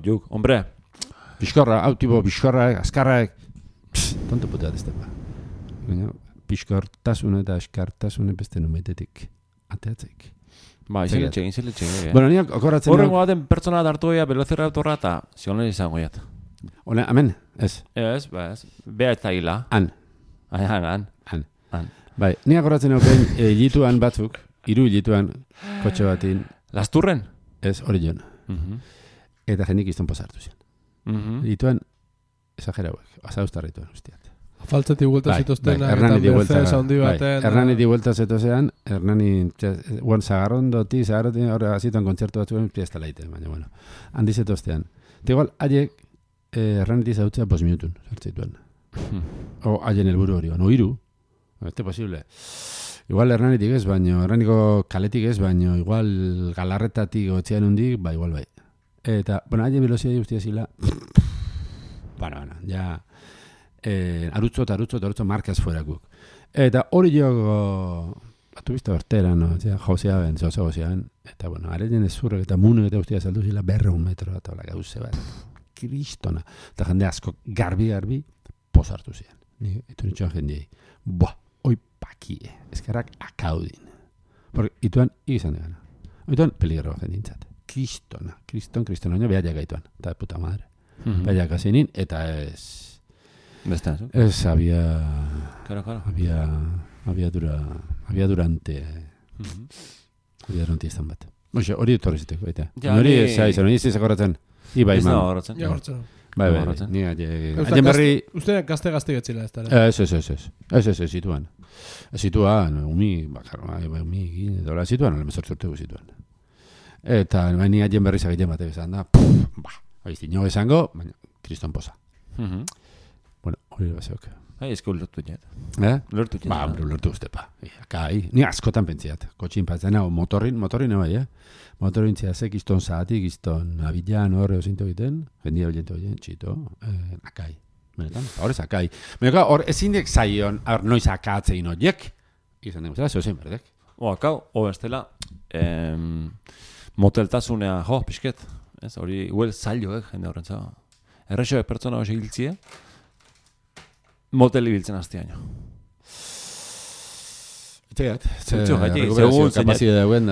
juk. Hombre. Piskorra, hau tipo, askarraek. Tonto putea dezte ba. Piskortasune eta askartasune beste numetetik. Ateatzeik. Bai, iziletxe. Bueno, niak okoratzen... Horrengo baten pertsona hartu goia Velociraptorra eta zionen izango jat. Hone, amen, ez. Ez. Bea eta hila. Han. Bai, niak okoratzen okein hilituan batzuk, 3 hilituan kotxe batin. Lasturren? Ez, hori joan. Eta jendik izton posartu zian. Hilituan, exagerauek, azaustarrituan ustiat. Faltzetik buelta zituztenak, Hernani di vuelta. Hernani di vuelta zetozean, Hernani, zagarroti, ahora azituan kontzertu batzuen, piesta laite, baina, bueno, handi zetoztean. Eta igual, haiek, Hernani zautzea 5 minutun, sartzituan. O, haien helburu hori, no 3, este posible. Igual Hernanitik ez, baino, Hernaniko kaletik ez, baino, igual galarretatik otzean hundik, igual bai. Eta, bueno, haien velozia guztia zila, bueno, ja... arutzo markaz fuerakuk. Eta hori jogo batu bizta bertera, no? Jozea ben, eta bueno, areien ezurrek eta munek eta guztia saldu zila 200 metro eta hola gauze bat. Kristona. Eta jende asko garbi posartu zian. Itu nitxoan jendei. Oi pakie. Ezkerrak akaudin. Porque ituan izan degana. Ituan peligro jendintzat. Kristona. Baina behaiak gaituan. Eta puta madre. Behaiak azinin eta ez... Ez, Claro. Había durante izan bat. Oxe, hori etorri ziteko, baita. Hori ez zakoratzen. Ibai, man. Bai, ni aien berri... Usteak gazte getzila ez dara. Ez, situan, umi egin, edo situan, alemezortzortegu situan. Eta ni aien berri zagiten bat egizan da, nio esango, baina, kriston posa. Bueno, hori baseok. Ezko ulertu jet. Ulertu uste, ni askotan pentziat. Kotxin patzen, motorin bai, Motorin txeazek izton zaatik, izton abilan horre ozinto egiten, jendia bilento egiten, txito, akai. Benetan, horrez akai. Baina hor ezindek zaion, noiz akatzein horiek, izan dugu, zehozein berdek. Akau, bestela, moteltasunea, pixket, hori, huel zailo, jende horren zau. Errexoek pertsona hori hiltzie, motel ibiltzen hastiaino. Itegat, recuperazio kapazide dauen,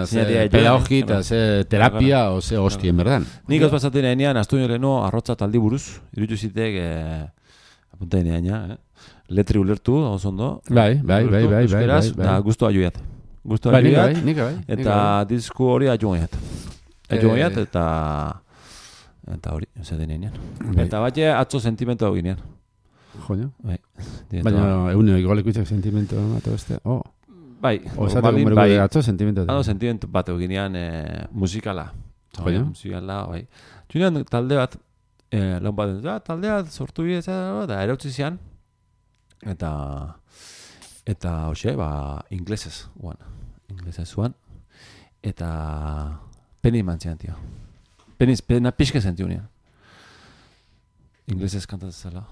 pedagogi eta terapia o hostien, berdan. Nik ospazaten enean, astu leheno, arrotza taldi buruz, irutu zitek, apuntain enean, letri ulertu, oso ondo. Bai. Da, guztu ajuiat. Eta disku hori ajuiat. Eta Eta hori, ez denean. Eta bat atzo sentimentu hau ginean. Joño. Bai. Baina egunio igolekuitzak sentimentu bat beste. Oh. Bai. Osatu bai. Atzo sentimentu. Sentimentu bat eginean musikala. Joño. Musikala, bai. Junean talde bat, laun bat, taldea sortu bidez, da erautzi zian. Eta hoxe, inglesez uan. Inglesez uan. Eta peni mantzian, tio. Pena pixke zentiu nian. Inglesez kantatzen zela.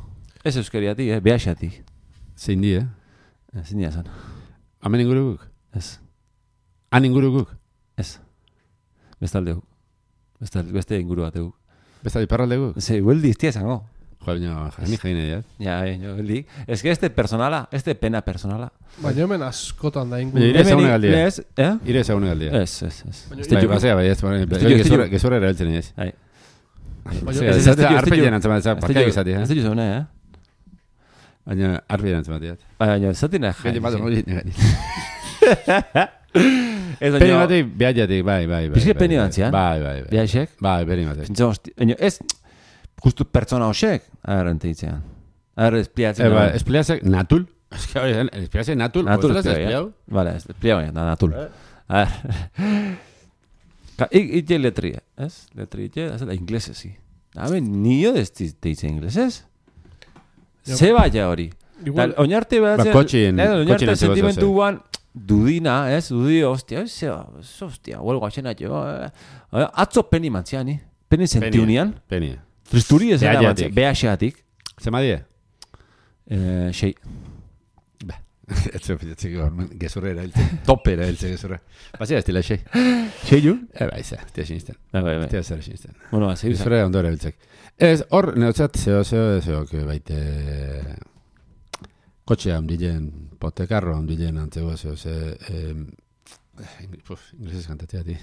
Ez euskeriatik, behaxatik. Zein di, Zein dia zan. Hemen inguruguk? Ez. Han inguruguk? Ez. Bestalde guk. Beste inguru bat guk. Bestalde parralde guk? Ze, hueldi iztia zango. Jo, baina jani jaine diat. Ja, hueldi. Ez que este pena personala. Baina hemen askotan da inguru. Ire ezagune galdia. Ez, Ire ezagune galdia. Ez. Bai, basea, bai, ez. Gezurra erabiltzen ez. Bai. Ez arpegian antzemat, parkeak izati, Ez dut zaune, Baina arpegian antzemat. Baina, zatina Gete bat hori negari. Ez Peni batik, behajatik, bai. Pizke peni batzian? Bai. Behaixek? Bai, peni batik. Ez, justu pertsona hoxek, errentitzean. Espliatzen. Espliatzek natul. Espliatzek natul. Natul Ostras, espliau. Vale, espliau, natul. Ite letria, ez? Letria, ez da inglesezi. Nio deitzen inglesez? Zeba ja hori. Oinarte batzen... Oinarte sentimentu guan dudina, ez? Dudio, ostia, huelgo aixena jo. Atzo peni mantziani. Peni sentiunian. Peni. Tristuri ez da mantzian. Behaxeatik. Zema die? 6. Ez zepitzatik gezurra erabiltzen. Tope erabiltzen gezurra. Bazia ez dila 6. 6 ju? Bai, tia sinisten. Bai. Tia zer sinisten. Bueno, zeu. Gezurra ondo erabiltzek. Ez, hor, neotzat, zeok baite... Kotxea ondilen, potekarro ondilen antzego, inglesez kantatzea, ti.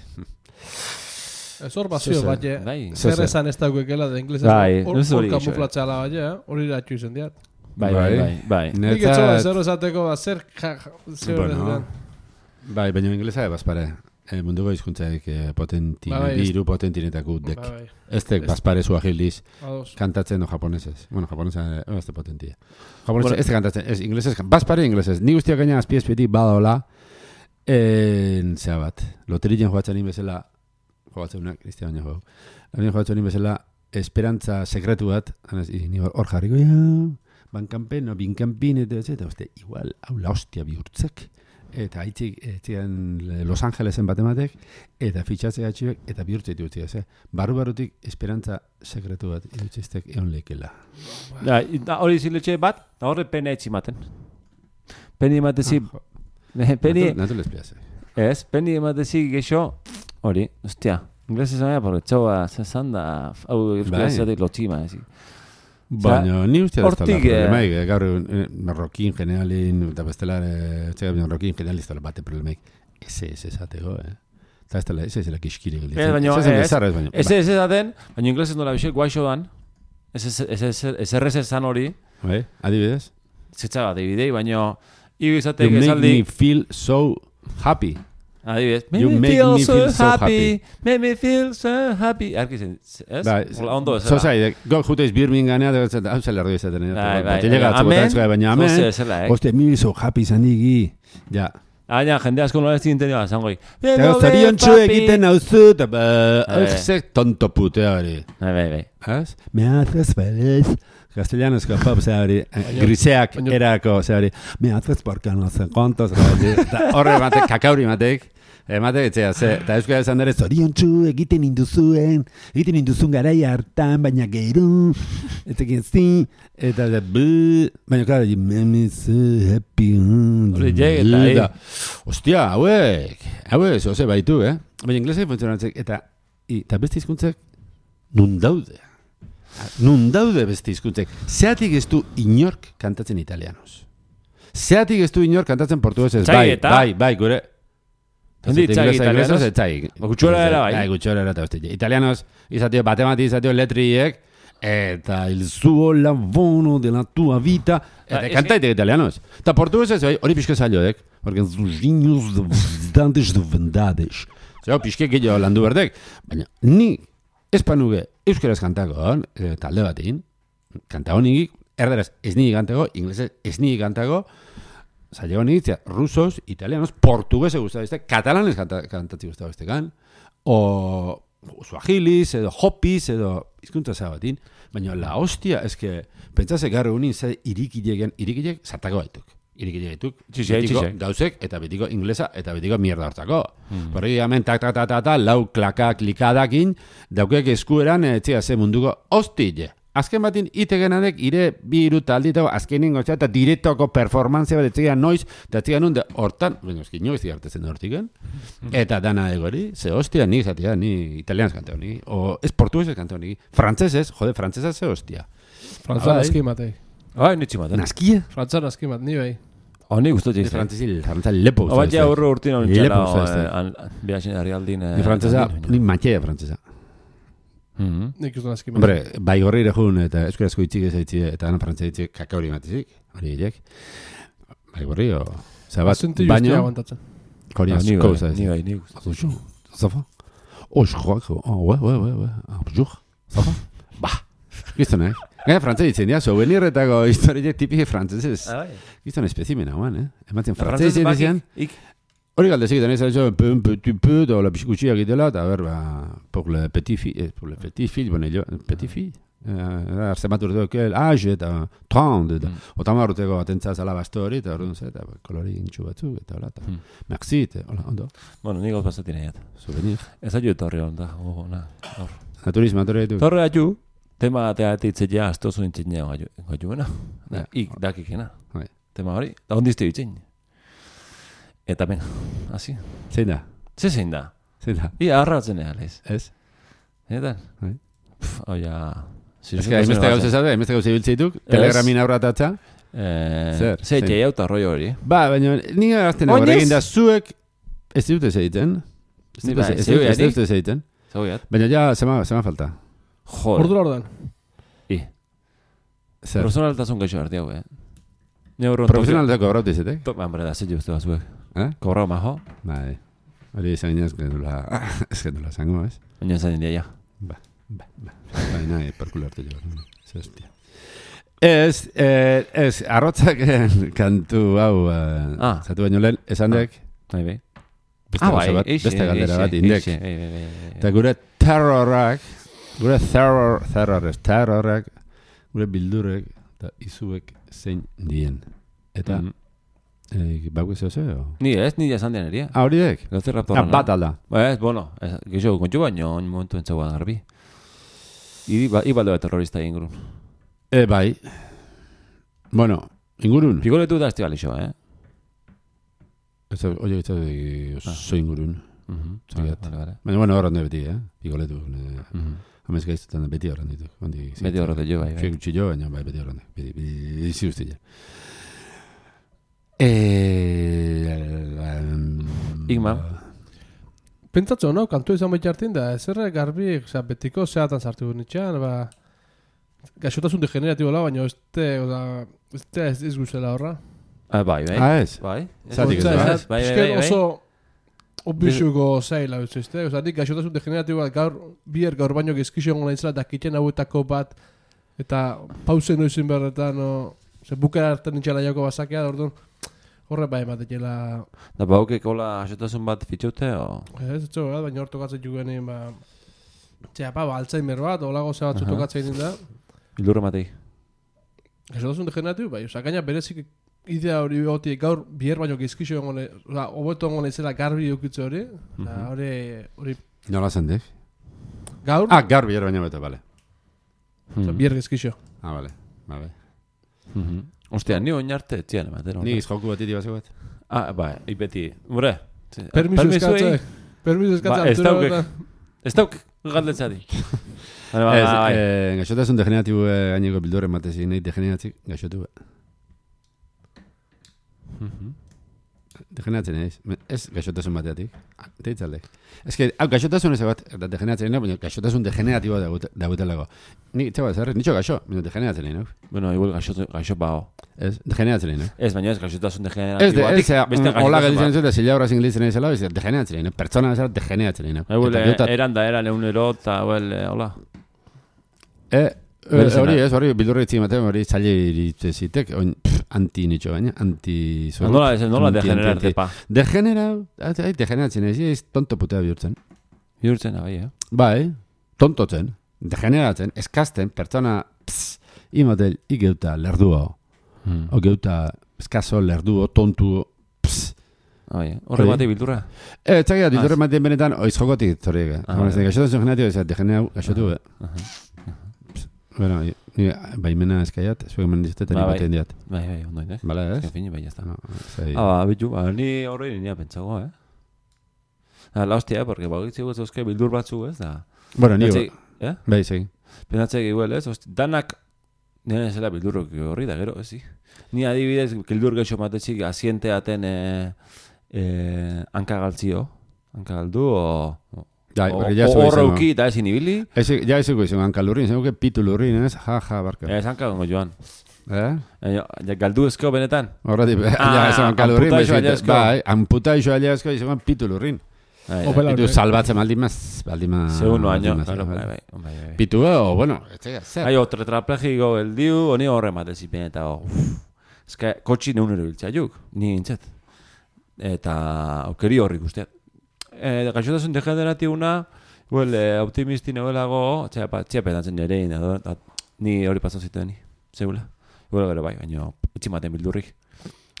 Ez hor bazio, baina, zer esan ez dagoekela da inglesez. Hor kamuflatxala, baina, hori iratxu izan diat. Bai. Nik etxoa zer esateko, zer Bai, baina inglesa bazpare. Munduko hizkuntzaik potenti, biru potentinetako dek. Ez dek bazpare zua gildiz kantatzen o japonesez. Bueno, japonesa ez de potentia. Japonesez ez de kantatzen, ez inglesez, bazpare inglesez. Ni guztiak gaina azpiezpietik badola, zea bat, loterien joatzen inbezela, joatzeunak, Cristian baina jau, labien joatzen inbezela, esperantza sekretu bat, ni hor jarriko, bankanpen, binkanpin, eta igual, hau la hostia bihurtzek. Eta haitzik Los Angelesen batematek, eta fitxatze gatxibek, eta bihurtze dituzti, barru-barrutik esperantza sekretu bat irutziztek egon lekela. Hori ziletxe bat, horre pena etximaten. Peni ematezi... Natul espiaze. Ez, peni ematezi gexo, hori, ostia, inglesez aia, porque txoa, zezan da, hau euskarazatik lotxima, ezi. Baina, ni ustia da problemaik, gaur marrokin generalin, eta bestelar, marrokin generalin ez da bate problemaik. Ez esateko, Eta ez dela kiskiri gilditzen. Ez esaten, baina inglesez nola bixek, guaixo dan, ez errez esan hori. Adibidez? Zetsa, adibidei, baina, you make me feel so happy. Adibidez, make me feel so happy. Arkizen, ez? Ondo ez. Zozai, juteiz Birminghanea, hau zela erdu izaten. Baina, amen, oste, me so happy zandigi. Ja. Baina, jende asko nola ez zinten dira, zangoi. Zorion txu egiten hau zu, eta tonto putea hori. Bai. Me haces feliz. Castellanos pop, hori, griseak erako, hori, me haces porque no sé cuántos, horre batek, kakauri batek, etzea, eta euskara esan dara, zorion txu, egiten induzun garaia hartan, baina gero, etekin zi, eta baina klar, me so happy, ostia, hauek, zoze baitu, baina inglesek funtzionatzek, eta beste hizkuntzak nun daude beste hizkuntzek. Zeatik ez du inork kantatzen italianos. Zeatik ez du inork kantatzen portuguesez. Bai, gure. Italianos? Gutxora era bai. Gutxora era eta italianos izatio batemati izatio letriek eta il suo lavoro della tua vita. Eta kantaitek italianos. Eta portuguesez hori pixke zailodek. Porque zuzinuz dantes de vendades. Zeo pixke gehiago landu berdek. Baina ni espanuge euskaraz kantako, talde batin, kanta honik, erderaz ez niri kantako, inglesez ez niri kantako, zaila honik, rusos, italianos, portuguese guztabizte, katalanes kantatzi guztabiztekan, o suahilis, edo hopis, edo izkuntza zabatin, baina la hostia, eske, pentsase garru unin, ze irikilek sartako baituk. Irikile dituk, betiko gauzek, eta betiko inglesa, eta betiko mierda hartzako. Horregi hemen tak, lau klaka klikadakin, daukek eskueran, etxea ze munduko hostile. Azken batin, itegenanek, ire bi iru talditako, azkenin gotza, eta direktoko performantzia bat etxean noiz, eta etxean nun, hortan, eski nio ez digartezen hortiken, eta dana egori, ze hostia, ni zatea, ni italianaz kanteo, ni, o ez portuguesez kanteo, ni, frantzesez, frantzesa ze hostia. Frantzesa naski matei. Nitsi maten. Naskia? Frantzesa naski mat, ni bai. Ni guztotxe izte. Frantzesa lepo. Obat ja urru urtin hon txela, behaxen arialdin. Ni frantzesa, ni matxea frantzesa. Nik uste naski mat. Hombre, bai gorri irejun, eta eskurazko itxik ezaitzi, eta ana frantzesa itxik kakauri matizik, hori hilek. Bai gorri, o... Zabat, baino... Koriazko, zaiz. Ni bai, ni guztotxe. Zafa? Joako, bonjour. Zafa? Ba, gizton, Gaina frantzese ditzen dira, souvenirretako historiek tipike frantzesez. Gizton espezimena, ematen frantzese ditzen. Hori galdezik, eta nahi un petit peu, da la pixikutxia egitela, eta pour le petit fille, petit fille, arzematu urteko, age, eta 30, eta otamar urteko atentza zala basto hori, eta hori eta kolori intxu batzuk, eta hola, eta merci, eta hola, ondo. Bueno, nik gauz nahiat. Souvenir. Ez aio etorri hon da, Naturismo, atorri ditu. Torre aju. Tema teateitzeia astozu intzina gajuena. Ik dakikena. Tema hori. Da ondizte ditzen. Eta ben, hasi. Zein da? Zein da? Ia arratzen egalez. Ez? Eta? Oia... Ez que haimeste gauze zade, haimeste gauze biltzeituk, telegramin aurratatza. Zer? Zer jaiauta roi hori. Ba, baina nire gazten egin da zuek ez dute zeiten. Ez dute zeiten. Baina ja, zema falta. Joder. Ordura ordan. Zer? Personaltasun gaixo harti hau, Profesionaltako kobrauti zetek? Hombre, da zet juztu bazuek. Kobrau majo? Bai. Hori izan ginez, ez gendula zango, ez? Baina izan india, ja. Ba. Baina, perkula hartu jo. Zestia. Ez, arrotzak kantu hau, zatu baino lehen, esan dek? Bai. Beste galdera bat, indek. Eta gure terrorak, gure bildurek eta izuek zein dien. Eta, bau ez zeo? Ni esan den eria. Hori dek? Gauze raptoran. Bat alda. Ez, bueno, gixo, kontxu baino, momentu entzagoan garbi. Ibaldo terrorista ingurun. Bai. Bueno, ingurun. Pigoletu da estival iso, Oye, oso ingurun. Vale. Baina, bueno, horren beti, pigoletu. Hamez gaiztetan beti horren ditu. Beti horrete jo, bai. Fek utxi jo, baina beti horren. Bizi guztia. Igma. Pentsatzo, no? Kantu izan baita hartin da, ezerre garbi, betiko zeatan sartu nitxean, gaixotasun degeneratibo la, baina ez guzela horra. Bai. Ez? Bai. Zatik ez, bai. Oso obisuko zaila utzizte. Nik gaixotasun degeneratibo bat gaur baino gezkixo gongo nahitzela, eta kiten hauetako bat, eta pausen noizin berretan, bukera hartan nintxela jauko basakea, orduan, horre bai ematekela... Da baukek hola gaixotasun bat fitxute, o? Ez, baina hor tokatzen jugenin, Alzheimer bat, holago ze batzu tokatzen da. Bildurra matei. Gaixotasun degeneratibo, bai, gaina berezik idea hori hoti gaur biher baino gezkixo egon, hobeto egon izela garbi eukitze hori, hori... Nola zendek? Gaur? Gaur biher baino beto, bale. Biher gezkixo. Bale. Ostia, ni oinarte etxian ematen. Ni izjoku bat iti bazio bat. Bai, ipeti. Mure. Permiso eskatzea. Ez dauk galdetzari. Gaixotasun degeneratibo gaineko bildurren matezik, nahi degeneratzik gaixotu. Degeneratzen ez gaixotasun bateatik. Teitzaldek. Ez que, gaixotasun ez bat, eta degeneratzen nahi, baina gaixotasun degeneratibo dagoetelako. Ni, txaba, zerrez, nitxo gaixo, baina degeneratzen nahi, no? Bueno, igual gaixo bao. Ez, degeneratzen egin, Ez, baina ez, gaixotasun Ez, degeneratiboa. hola gelditzen zuen, zila horra zinglitzen egin zela, degeneratzen egin, pertsona bezala degeneratzen egin. Eran da, era neunero, eta, hola. Hori, bildurra itzi ematen, hori zaila iritzezitek, anti nitxo baina, anti... Nola degenerarte, pa? Degeneratzen ez tonto putea bihurtzen. Bihurtzen, bai, Bai, tontotzen, degeneratzen, eskazten, pertsona, imotel, igeuta lerduo, o geuta eskazo lerduo, tontuo, horre bate bildurra? Txakia, bildurra ematen benetan, oiz jokotik, zoriek. Gaixotasun generatio, degenerau, gaixotu, Bueno, baimena eskaiat, zuek eman dizutet, eta batean diat. Bai, ondoin, ez? Bala, ez? Fini, bai, jazta. Bitu, ni horrein nina pentsago, La hostia, porque bagitzi guz euske bildur batzu, ez da? Bueno, ni... Bai, segi. Pensatzek igual, ez? Danak, nire zela bildurrok horri da, gero, ez? Ni adibidez, bildur geixo matetzik, asienteaten hankagaltzio. Hankagaldu, horreuki eta ezin ibili. Ja ezuko izan hankalurrin, zenuke pitu lurrin, ez? Barka. Ez hankagongo joan. Galdu ezko benetan? Horretik, ja esan hankalurrin. Bai, amputa iso aliazko izan pitu lurrin. Pitu salbatzen baldimaz. Segundo año. Pitu, bueno, zer. Tetraplegiko geldiu, honi horre matezipen eta eska, kotxi neunero biltzaiuk, ni nintzet. Eta aukeri horrik usteat. Gaixotasun degeneratibuna, optimisti nebelago, txea pedatzen nire, ni hori pasan zituen, segula. Igual gero bai, baina etximaten bildurrik.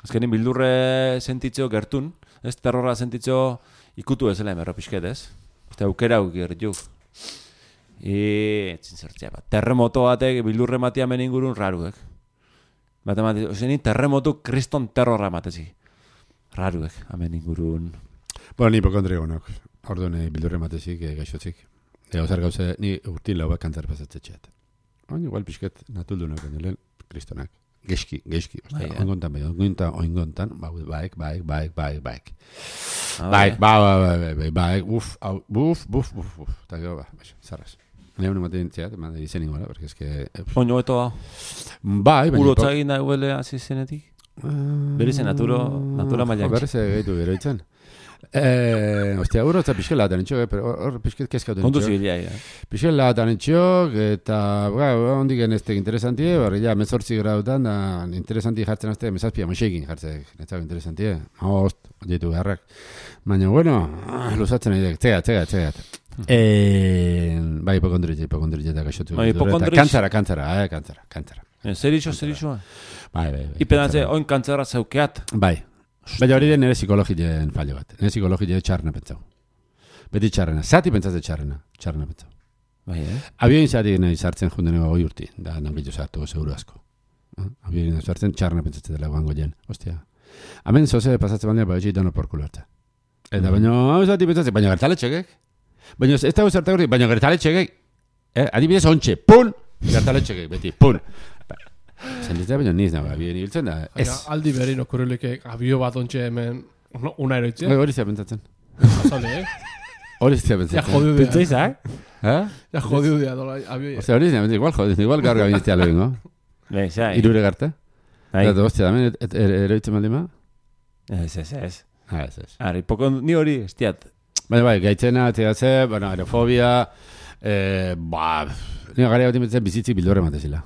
Azkenin bildurre sentitzeo gertun, ez terrorra sentitzeo ikutu ezela emerro pixket, ez? Eta aukera gertuk. Etzin zertzea bat. Terremoto batek bildurre matia meningurun raruek. Zenin terremotu kriston terrorra matezi. Raruek, amen ingurun. Bueno, ni hipokondrio gonok. Orduan bildurre matezik, gaixotzik. Zer gauze, ni urtin lau bat kantzar pasatzetxeat. Igual pixket natuldunak, lehen kristonak. Geski. Oingontan, baik. Eta gero, zarraz. Nire honi maten txeat, eman izen ingola, porque es que... Oino eto da? Bai, baina... Urotzagin da huele hasi zenetik? Berize natura maiak. Berrize gaitu gero itzen. Ostia, urotza pixkela atan itxok, pero hor pixket kezkauten itxok. Kontu zibilia, Pixkela atan itxok, eta hondik eneztek interesantie, barri ja, mezortzi grautan, da interesanti jartzen azte, mezazpia moxekin jartzen, netzak interesantie, maost, ditu beharrak. Baina, bueno, luzatzen ari dek, txegat. Bai, hipokondritxe eta gaixotu. Kantzara. Zer itxo? Bai. Ipedatze, oin kantzara zeukeat? Bai. Baina hori den nire psikologien fallo bat. Nire psikologien txarna pentsau. Beti txarrena. Zati pentsatze txarrena pentsau. Bai, Abioin zati nahi sartzen junden ego urti. Da, nangitu zartu, seguru asko. Abioin nahi sartzen txarna pentsatze dela guango jen. Ostia. Hemen zoze pasatzen bandea, bai, dano porkulo hartza. Eta baina, hau zati pentsatze, baina gertale txegek. Baina ez da guzartak urti, baina gertale txegek. Adibidez ontxe, pun! Gertale txegek, beti, pun! Zenditzea baina niz nago, abio nibiltzen da, ez. Aldi berin okurreleke abio bat ontxe hemen una eroitzea. Hori zea pentsatzen. Azale, Hori zea pentsatzen. Ja jodiu dira. Pentsaizak? Ja jodiu dira, dola, abio. Ostia, hori zea pentsatzen, igual gaur gabiniztea lo bingo. Irure garte. Eta hostia, damen eroitzen baldima? Ez. Ari, ni hori, estiat. Bai, gaitzena, txegatze, bueno, aerofobia, nire gari bat imetzen bizitzik bildurre matezila.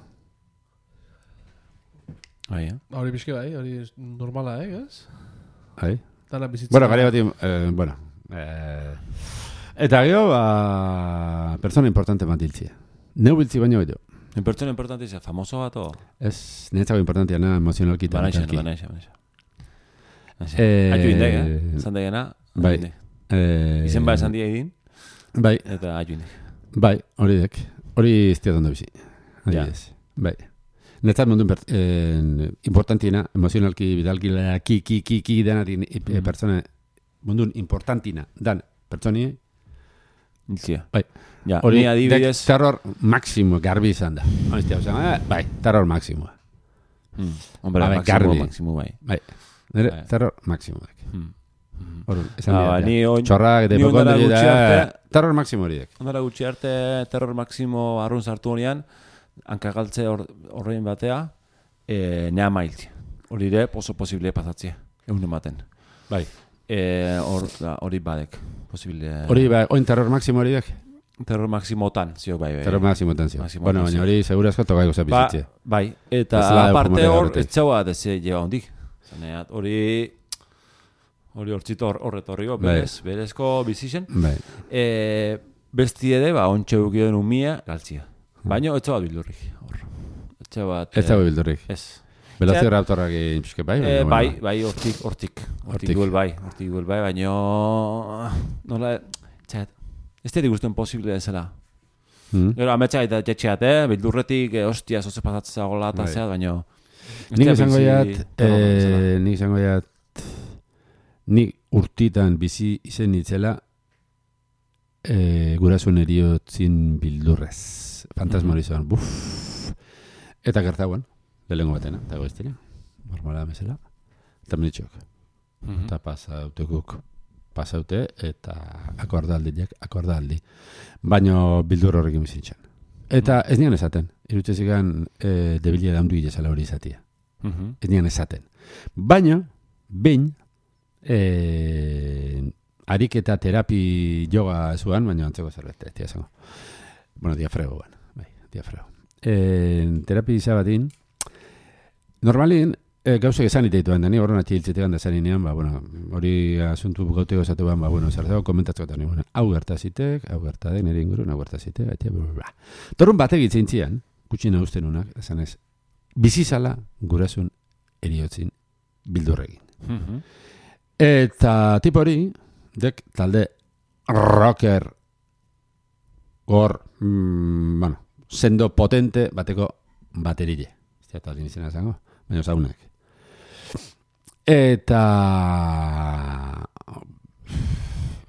Hori bizke bai, hori normala, ez? Bai. Dana bizitza. Bueno, gari bat eta gero, persona importante bat diltzia. Neu biltzi baino edo. Pertsona importante izan, famoso bat o? Ez, niretzako importantia na emozionalki eta mentalki. Banaixa. Aiu indeg, esan degena. Bai. Izen ba esan dia idin. Bai. Eta aiu indeg. Bai, hori dek. Hori iztia dondo bizi. Bai. Netzat mundun importantina, emozionalki, bidalki, ki denatin pertsona, mundun importantina, dan pertsoni. Nizia. Bai. Hori adibidez. Terror máximo garbi izan da. Bai, terror máximo. Hombre, máximo bai. Bai, terror máximo. Hori, esan dira. Txorrak eta hipokondri da. Terror máximo hori dek. Ondara gutxi arte terror máximo arrun sartu honean, hankagaltze horrein batea, nea mailtzi. Hori ere, oso posible pasatzea, egun ematen. Bai. Hori badek, posible... Hori, oin terror máximo hori dek? Terror maximotan, zio bai. Terror máximotan zio. Bueno, baina hori segurazko tokaiko zabizitzea. Bai, eta aparte hor, ez txaua deze lleva hondik. Zaneat, hori hortzito horretorriko, berezko bizisen. Bai. Besti ere, ontsa eukideen umia, galtzia. Baina, ez txabat bildurrik. Ez txabat bildurrik. Ez. Velociraptorrak inpizke bai? Bai, hortik duel bai, baina... Nola, txat, ez dira guztuen posible ezela. Gero, ametsa eta jetxeat, bildurretik, hostia, zoze pasatzea gola eta zeat, baina... Nik izango jat, nik urtitan bizi izen nitzela gurasun eriotzin bildurrez. Fantasma hori zoan, eta gertauen, lehengo batena, eta goiztira, normala mesela, eta menitxok. Eta pasaute, eta akordaldi. Baina bildur horrekin bizintzen. Eta ez nian esaten, irutzezikan debilia daundu gilezala hori izatia. Ez nian esaten. Baina, behin, ariketa terapi yoga zuan, baina antzeko zerbait, ez diazango. Bueno, diafrego. Terapi izabatin, normalien, gauzak esan iteituan, dani horren atxiltzetean da zaninean, hori asuntu gauteko esatuan, zertzeko komentatzeko eta nire, hau gertazitek, hau gertaden, nire ingurun, hau gertazitek, torun batek itzintzian, gutxina usten unak, esan ez, bizizala gurasun eriotzin bildurregin. Eta tipo hori, dek talde rocker gor, sendo potente bateko baterile. Ez da izena esango, baina zaunak. Eta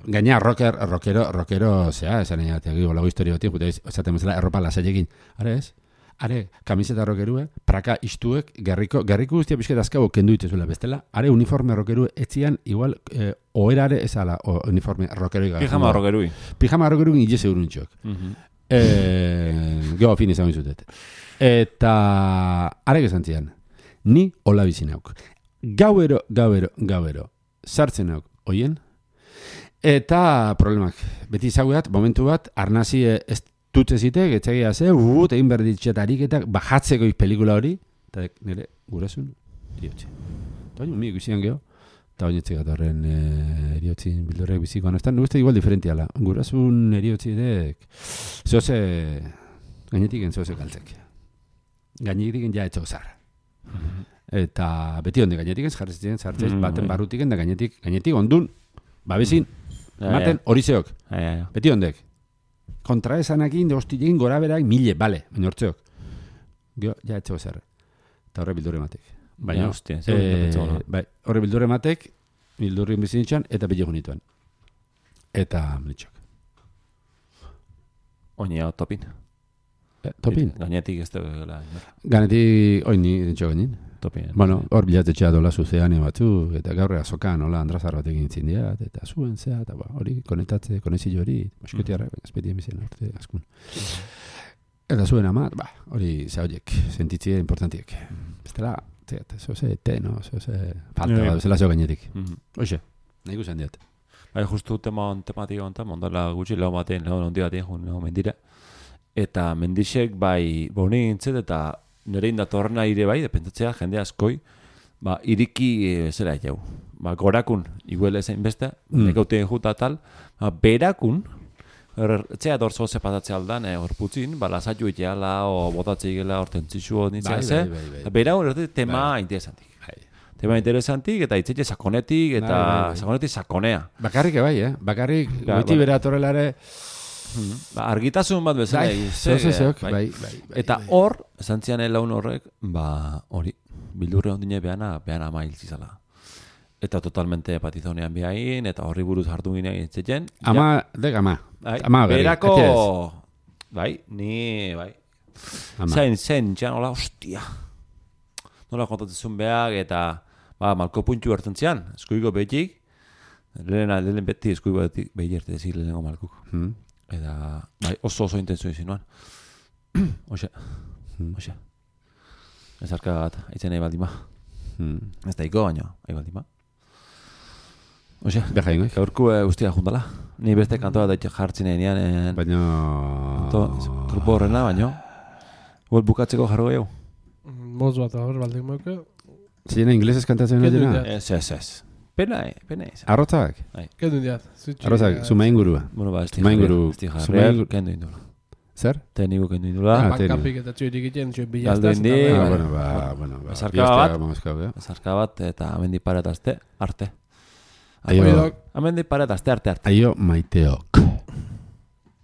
gaina rockero, esan egin lago historio batik, esaten bezala erropa lasailekin. Are kamiseta rockerue, praka istuek, gerriko guztia pixket azkago kendu itezula bestela, are uniforme rockerue etzian, igual, oerare ezala uniforme rockerui. Pijama rockerui ilese urunitxok. Geo fin izan izutet. Eta arek esan zian, ni hola bizin hauk. Gauero, sartzen hauk, oien? Eta problemak, beti izaguat, momentu bat, arnazi ez tutzezitek, etxegia ze, egin berditxetarik eta bajatzeko pelikula hori, eta nire gurasun eriotxe. Eta baina, miek bizian geho, eta baina etxegat horren eriotzin bildurrek bizikoan. Ez da, nire igual diferentiala. Gurasun eriotxidek, gainetik zoze kaltzek. Gainetik ja etxo zar. Eta beti onde gainetik jarrezitzen, zartzez, baten barrutik da gainetik ondun, babezin, maten horizeok. Beti ondek. Kontra esanakin, de hostilein gora berak, mile, bale, baina hortzeok. Gio, ja etxo zer. Eta horre bildurre matek. Baina, horre bildurre matek, bildurrin bizinitxan, eta bilegun nituen. Eta menitxok. Oinea, topin. Topin? Gainetik ez da. Ganetik, oini, ditxo gainin. Topin. Bueno, hor bilatetxea dola zuzean batzu, eta gaur azokan, hola, andrazar bat egin zindiat, eta zuen zea, eta hori konezio hori, mosketiarra, espetien bizien, orte, askun. Eta zuen amat, hori zaudek, sentitzie importantiek. Bestela, zoze, falta, zela zeo gainetik. Hoxe, nahi guzan diat. Justu tematik onta, mondala gutxi lau batean, lau nondi batean, mendira. Eta mendixek, boni gintzet, eta nire indatorren aire dependetxea, jende askoi, iriki zera jau. Gorakun, iguel ezein beste, nekautien juta tal, berakun, etxea dorzo zepatatzea aldan, hor putzin, lasaiu iteala, o botatzea igela, hortentzitzu nitzea ze, berakun, tema interesantik. Tema interesantik, eta itzetxe sakonetik, eta sakonetik sakonea. Bakarrik ebai, bakarrik, goiti bera torrelare, argitasun bat bezala bai. Eta hor, esan zian laun horrek, hori, bildurre ondine behana mail zizala. Eta totalmente patizonean behain, eta horri buruz hartu ginen etxeten. Ama. Berako, ni. Zen, txan, hola, hostia. Nola kontatzezun behak, eta malko puntxu hartzen zian, eskuiko behitik, lehen beti eskuiko behitik erte ezik lehenengo malkuk. Eta oso intenso izin nuan. Oxe. Ezarka bat, aitzen nahi baldima. Ez da iko, baino, nahi baldima. Oxe, Beha ingoik. gaurku guztia jundala. Ni beste kantoa daitxe jartzen enean. Baina... Grupo horrena, baino. Huel bukatzeko jarro gehiago. Moz bat hor, baldin moke. Ziena inglesez kantatzen Kendu dira? indiat. Ez. Pena izan. Arrotzak? Kendu indiat. Arrotzak, zuma ingurua. Bueno, ba, esti Zuma inguru- jarriak, zuma inguru- kendu indula. Zer? Tekniko kendu indula. Bankapik eta txoirik egiten, txoik Galdu bilaztaz. indi. Bueno, ba. Zarka bat. Bat. Zarka bat eta amendi paretazte, arte. Aio, Oidok. Amendi paretazte, arte. aio maiteok.